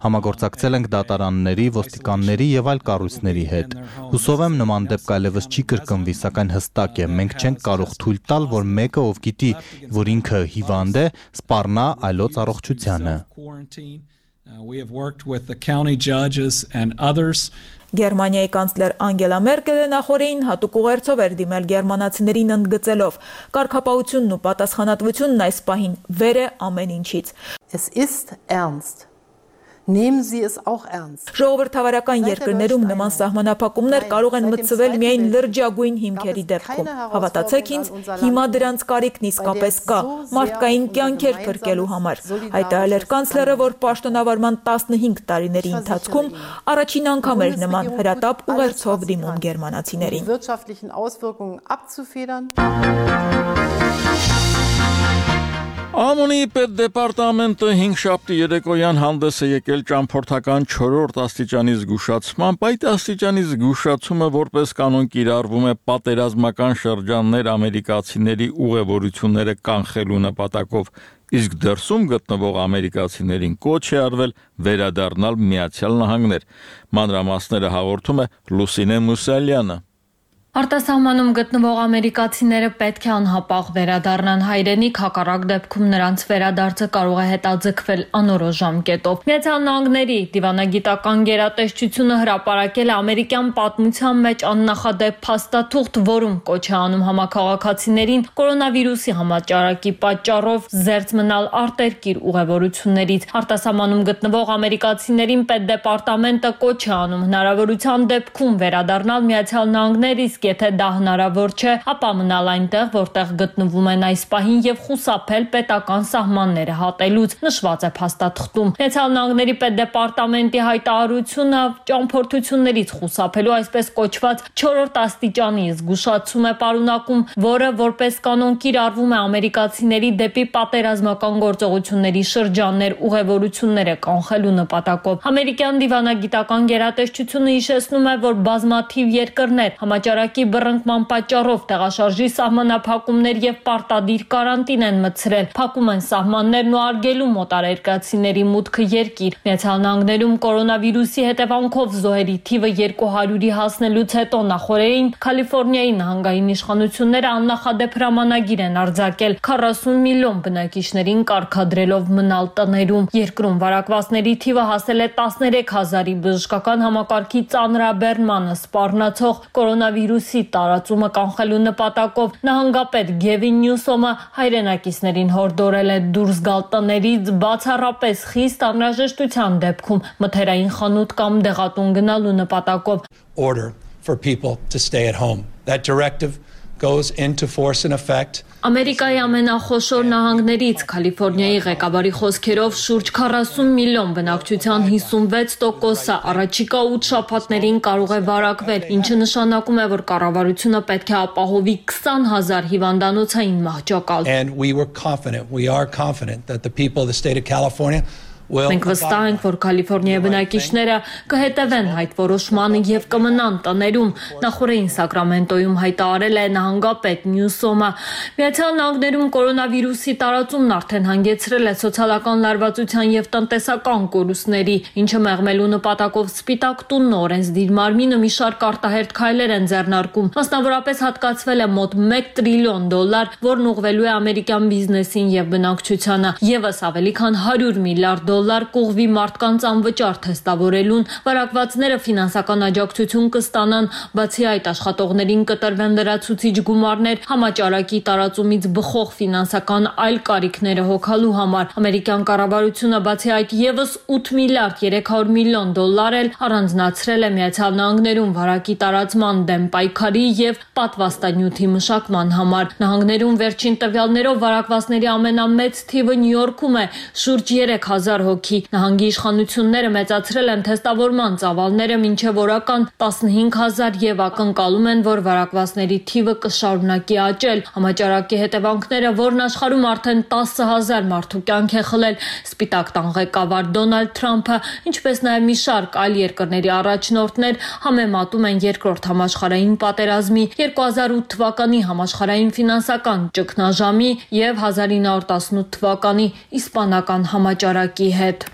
Համագործակցել ենք դատարանների, ոստիկանների եւ այլ կառույցների հետ։ Հուսով եմ նման դեպք այլևս չի կրկնվի, սակայն հստակ է, մենք չենք կարող թույլ տալ, որ մեկը, ով գիտի, որ ինքը հիվանդ է, սպառնա այլոց առողջությանը։ Uh, we have worked with the county judges and others. Գերմանիայի կանցլեր Անգելա Մերկելը նախորդին հատուկ ուղերձով էր դիմել գերմանացիներին ընդգծելով. Կարգապահությունն ու պատասխանատվությունն այս պահին վեր է ամեն ինչից։ Es ist ernst. Nehmen Sie es auch ernst. Ժողովրդավարական երկրներում նման սահմանափակումներ կարող են մտցվել միայն լրջագույն հիմքերի դեպքում։ Հավատացեք ինձ, հիմա դրանց կարիքն իսկապես կա, մարդկային կյանքեր փրկելու համար։ Հայտարարել էր կանցլերը, որ պաշտոնավարման տասնհինգ տարիների ընթացքում առաջին անգամ էր նման հրատապ ուղերձով դիմում գերմանացիներին։ Wirtschaftlichen Auswirkungen abzufedern. Ամոնի պետդեպարտամենտը հինգշաբթի երեկոյան հանդես է եկել ճամփորդական չորրորդ աստիճանի զգուշացմամբ, այդ աստիճանի զգուշացումը որպես կանոն կիրառվում է պատերազմական շրջաններ ամերիկացիների ուղևորությունները կանխելու նպատակով, իսկ դրսում գտնվող ամերիկացիներին կոչ է արվել վերադառնալ Միացյալ Նահանգներ։ Մանրամասները հաղորդում է Լուսինե Մուսալյանը։ Արտասահմանում գտնվող ամերիկացիները պետք է անհապաղ վերադառնան հայրենիք, հակառակ դեպքում նրանց վերադարձը կարող է հետաձգվել անորոշ ժամկետով։ Միացյալ Նահանգների դիվանագիտական գերատեսչությունը հրապարակել է ամերիկյան պատմության մեջ աննախադեպ փաստաթուղթ, որում կոչ է անում համաքաղաքացիներին կորոնավիրուսի համաճարակի պատճառով զերծ մնալ արտերկիր ուղևորություններից։ Արտասահմանում գտնվող ամերիկացիներին պետդեպարտամենտը կոչ է անում հնարավորության դեպքում վերադառնալ Միացյալ Նահանգներ, իսկ եթե դա հնարավոր չէ, ապա մնալ այնտեղ, որտեղ գտնվում են այս պահին եւ խուսափել պետական սահմանները հատելուց, նշված է փաստաթղթում։ Միացյալ Նահանգների պետդեպարտամենտի հայտարարությունը ճամփորդություններից խուսափելու այսպես կոչված չորրորդ աստիճանի զգուշացում է պարունակում, որը որպես կանոն կիրառվում է ամերիկացիների դեպի պատերազմական գործողությունների շրջաններ ուղևորությունները կանխելու նպատակով։ Ամերիկյան դիվանագիտական գերատեսչությունը հիշեցնում է, որ բազմաթիվ երկրներ համաճարակի բռնկման պատճառով տեղաշարժի սահմանափակումներ եւ պարտադիր կարանտին են մտցրել, փակում են սահմաններն ու արգելում մոտարերկրացիների մուտքը երկիր։ Միացյալ Նահանգներում կորոնավիրուսի հետևանքով զոհերի թիվը երկու հարյուրի հասնելուց հետո նախորդին Կալիֆոռնիայի նահանգային իշխանությունները աննախադեպ հրամանագիր են արձակել քառասուն միլիոն բնակիչներին կարգադրելով մնալ տներում։ Երկրում վարակվածների թիվը հասել է տասներեք հազարի, բժշկական համակարգի ծանրաբեռնմանը սպառնացող կորոնավիրուսի տարածումը կանխելու նպատակով նահանգապետ Գևին Նյուսոմը հայրենակիցներին հորդորել է դուրս գալ տներից, բացառապես խիստ անհրաժեշտության դեպքում մթերային խանութ կամ դեղատուն գնալու նպատակով։ Order for people to stay at home. That directive goes into force in effect Ամերիկայի ամենախոշոր նահանգներից Կալիֆոռնիայի ղեկավարի խոսքերով շուրջ քառասուն միլիոն բնակչության հիսունվեց տոկոսը առաջիկա ութ շաբաթներին կարող է վարակվել, ինչը նշանակում է, որ կառավարությունը պետք է ապահովի քսան հազար հիվանդանոցային մահճակալ։ And we were confident, we are confident that the people of the state of California Մենք վստահ ենք, որ Կալիֆոռնիայի բնակիչները կհետևեն այդ որոշմանը եւ կմնան տներում, նախորդին Սակրամենտոյում հայտարարել է նահանգապետ Նյուսոմը։ Միացյալ Նահանգներում կորոնավիրուսի տարածումն արդեն հանգեցրել է սոցիալական լարվածության եւ տնտեսական կորուստների, ինչը մեղմելու նպատակով Սպիտակ տունն օրենսդիր մարմինը մի շարք արտահերթ քայլեր են ձեռնարկում։ Մասնավորապես հատկացվել է մոտ մեկ տրիլիոն դոլար, որն ուղղվելու է ամերիկյան բիզնեսին եւ բնակչությանը, եւս ավելի քան հարյուր միլիարդ դոլար կողվի մարդկանց անվճար թեստավորելուն, վարակվածները ֆինանսական աջակցություն կստանան, բացի այդ աշխատողներին կտրվեն լրացուցիչ գումարներ համաճարակի տարածումից բխող ֆինանսական այլ կարիքները հոգալու համար։ Ամերիկյան կառավարությունը բացի այդ եւս ութ միլիարդ երեք հարյուր միլիոն դոլար էլ առանձնացրել է Միացյալ Նահանգներում վարակի տարածման դեմ պայքարի եւ պատվաստանյութի մշակման համար։ Նահանգներում վերջին տվյալներով վարակվածների ամենամեծ թիվը Նյու Յորքում է, շուրջ երեք հազար հոգի։ Նահանգի իշխանությունները մեծացրել են թեստավորման ծավալները մինչև օրական տասնհինգ հազար եւ ակնկալում են, որ վարակվածների թիվը կշարունակի աճել։ Համաճարակի հետևանքները, որն աշխարհում արդեն տասը հազար մարդու կյանք է խլել, Սպիտակ տան ղեկավար Դոնալդ Թրամփը, ինչպես նաեւ մի շարք այլ երկրների առաջնորդներ համեմատում են երկրորդ համաշխարհային պատերազմի, երկու հազար ութ թվականի համաշխարհային ֆինանսական ճգնաժամի եւ հազար ինը հարյուր տասնութ թվականի իսպանական համաճարակի հետ։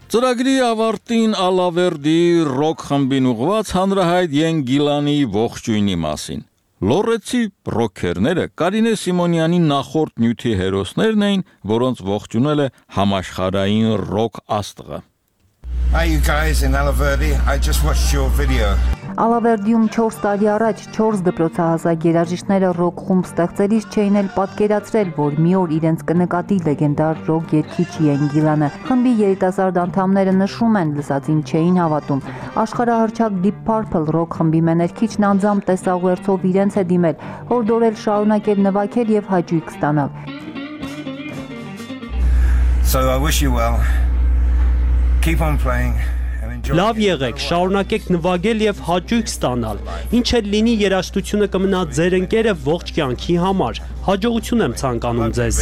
Ծրագրի ավարտին Ալավերդի ռոք խմբին ուղված հանրահայտ Յեն Գիլանի ողջույնի մասին։ Լորեցի ռոքերները Կարինե Սիմոնյանի նախորդ նյութի հերոսներն էին, որոնց ողջունել է համաշխարհային ռոք աստղը։ Hi you guys in Alaverdi, I just watched your video. Ալավերդիում չորս տարի առաջ չորս դպրոցահասակ երաժիշտները ռոք խումբ ստեղծելիս չէին էլ պատկերացրել, որ մի օր իրենց կնկատի լեգենդար ռոք երգիչ Յեն Գիլանը։ Խմբի երիտասարդ անդամները նշում են, լսածին չէին հավատում։ Աշխարհահռչակ Deep Purple ռոք խմբի մեներքիչն անձամբ տեսաղուերցով իրենց է դիմել, հորդորել շարունակել նվագել եւ հաճույք ստանալ։ So I wish you well. Keep on playing. Լավ եղեք, շարունակեք նվագել եւ հաճույք ստանալ։ Ինչ էլ լինի, երաժշտությունը կմնա ձեր ընկերը ողջ կյանքի համար։ Հաջողություն եմ ցանկանում ձեզ։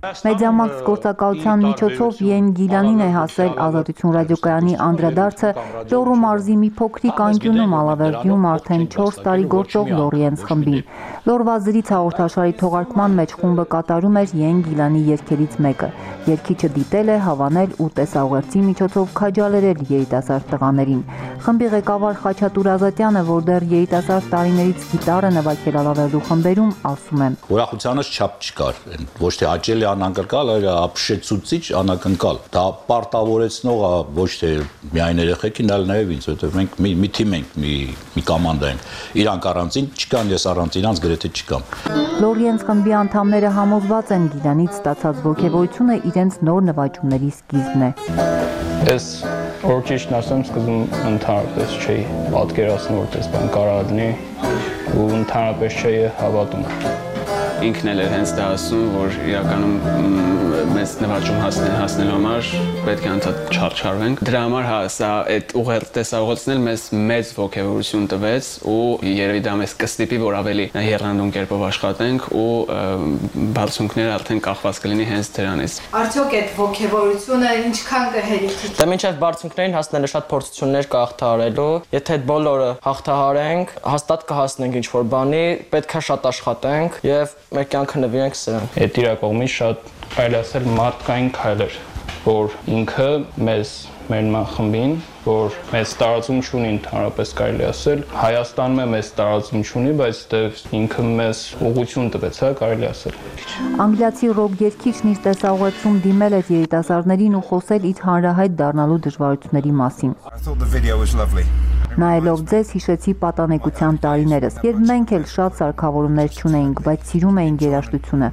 Մեդիամաքս գործակալության միջոցով Յեն Գիլանին է հասել Ազատություն ռադիոկայանի անդրադարձը Լոռու մարզի մի փոքրիկ անկյունում Ալավերդիում արդեն չորս տարի գործող Լորիենս խմբին։ Լորվա զրից հաղորդաշարի թողարկման մեջ խումբը կատարում էր Յեն Գիլանի երգերից մեկը։ Երգիչը դիտել է, հավանել ու տեսաղերցի միջոցով քաջալերել երիտասարդ տղաներին։ Խմբի ղեկավար Խաչատուր Ազատյանը, որ դեռ երիտասարդ տարիներից գիտարը նվագել Ալավերդու խմբերում, ասում է. Ուրախությանս չափ չկար, ոչ թե հաճելի անակնկալ, այլ ապշեցուցիչ անակնկալ։ Դա պարտավորեցնող է ոչ թե միայն երեխեքին, այլ նաև ինձ, որովհետև մենք մի, մի թիմ ենք, մի, մի կոմանդա ենք։ Իրանք առանցին չկան, ես առանց իրանց գրեթե չկամ։ Լորիենս խմբի անդամները համոզված են Գիլանից ստացած ոգևորությունը իրենց նոր նվաճումների սկիզբն է։ Ես որ ճիշտն ասեմ, սկզբում ընդհանրապես չէի պատկերացնում, որ դες բան կարող լինի ու ընդհանրապես չէի հավատում։ Ինքն էլ էր հենց դա ասում, որ իրականում մեծ նվաճում հասնել հասնելու համար պետք է անդադ չարչարվենք։ Դրա համար հա սա այդ ուղղել տեսահողոցն մեզ մեծ ոգևորություն տվեց ու երևի դա մեզ կստիպի, որ ավելի եռանդուն կերպով աշխատենք ու բարձունքները արդեն կախված կլինի հենց դրանից։ Արդյոք այդ ոգևորությունը ինչքան կհերիքի։ Դա մինչև բարձունքներին հասնելը շատ փորձություններ կա հաղթահարելու։ Եթե այդ բոլորը հաղթահարենք, հաստատ կհասնենք ինչ-որ բանի, պետք է շատ աշխատենք եւ մեր կյանքը նվիրենք սրան։ Այդ իր կողմից շատ այլ ասել մարդկային քայլեր, որ ինքը մեզ մեր խմբին, որ մեծ տարածում չունի ընդհանրապես կարելի ասել, Հայաստանում է մեծ տարածում չունի, բայց դեռ ինքը մեզ ուղղություն տվեց, հա, կարելի ասել։ Անգլիացի ռոք երգիչն իր տեսահողոցում դիմել էր երիտասարդներին ու խոսել իր հանրահայտ դառնալու դժվարությունների մասին։ Նայելով ձեզ հիշեցի պատանեկության տարիներս, երբ մենք էլ շատ սարքավորումներ չունեինք, բայց սիրում էինք երաժշտությունը։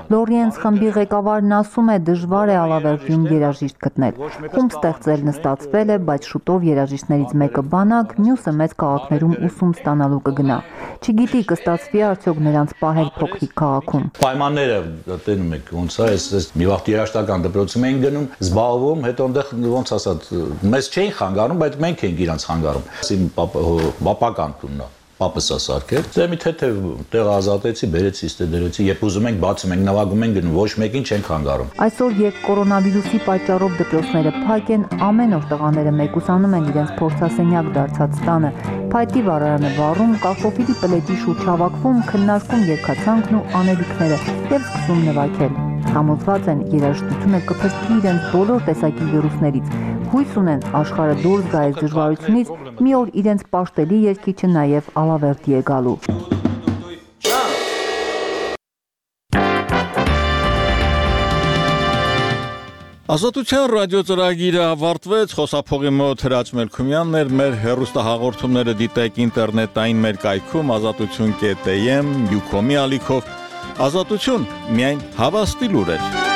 Լորիենս խմբի ղեկավարն ասում է դժվար է Ալավերդիում երաժիշտ գտնել։ Խումբ ստեղծել նստածվել է, բայց շուտով երաժիշտներից մեկը բանակ, մյուսը մեծ քաղաքներում ուսում ստանալու կգնա։ Չգիտի կստացվի արդյոք նրանց պահել փոքրիկ քաղաքում։ Պայմանները տենում եք ոնց է, այս մի վաղ երաժշտական դպրոցում են գնում, զբաղվում, հետո այնտեղ ոնց ասած, մեզ չէին խանգարում, բայց մենք ենք իրանց խանգարում։ Իմ պապական տունն է։ Պապս է սարքել։ Դե մի թեթև տեղ ազատեցի, բերեցի, ստե դրեցի, երբ ուզում ենք բացում ենք, նվագում ենք գնում, ոչ մեկին չենք խանգարում։ Այսօր երբ կորոնավիրուսի պատճառով դպրոցները փակ են, ամեն օր տղաները մեկուսանում են իրենց փորձասենյակ դարձած տանը։ Փայտի վառարանը վառում, կարտոֆիլի պլետի շուրջ հավաքվում, քննարկում երգացանկն ու անելիքները եւ սկսում նվագել։ Համոզված են երաժշտությունը կփրկի իրենց բոլոր տեսակի վիրուսներից։ Հույս ունեն աշխարհը դուրս գա այս դժվարությունից, մի օր իրենց պաշտելի երգիչը նաև Ալավերդի է գալու։ Ազատության ռադիոծրագիրը ավարտվեց, խոսափողի մոտ Հրաչ Մելքումյանն էր, մեր հեռուստահաղորդումները դիտեք ինտերնետային մեր կայքում ազատություն կետ էմ, յուկոմի ալիքով, ազատություն միայն հավաստի լուրեր։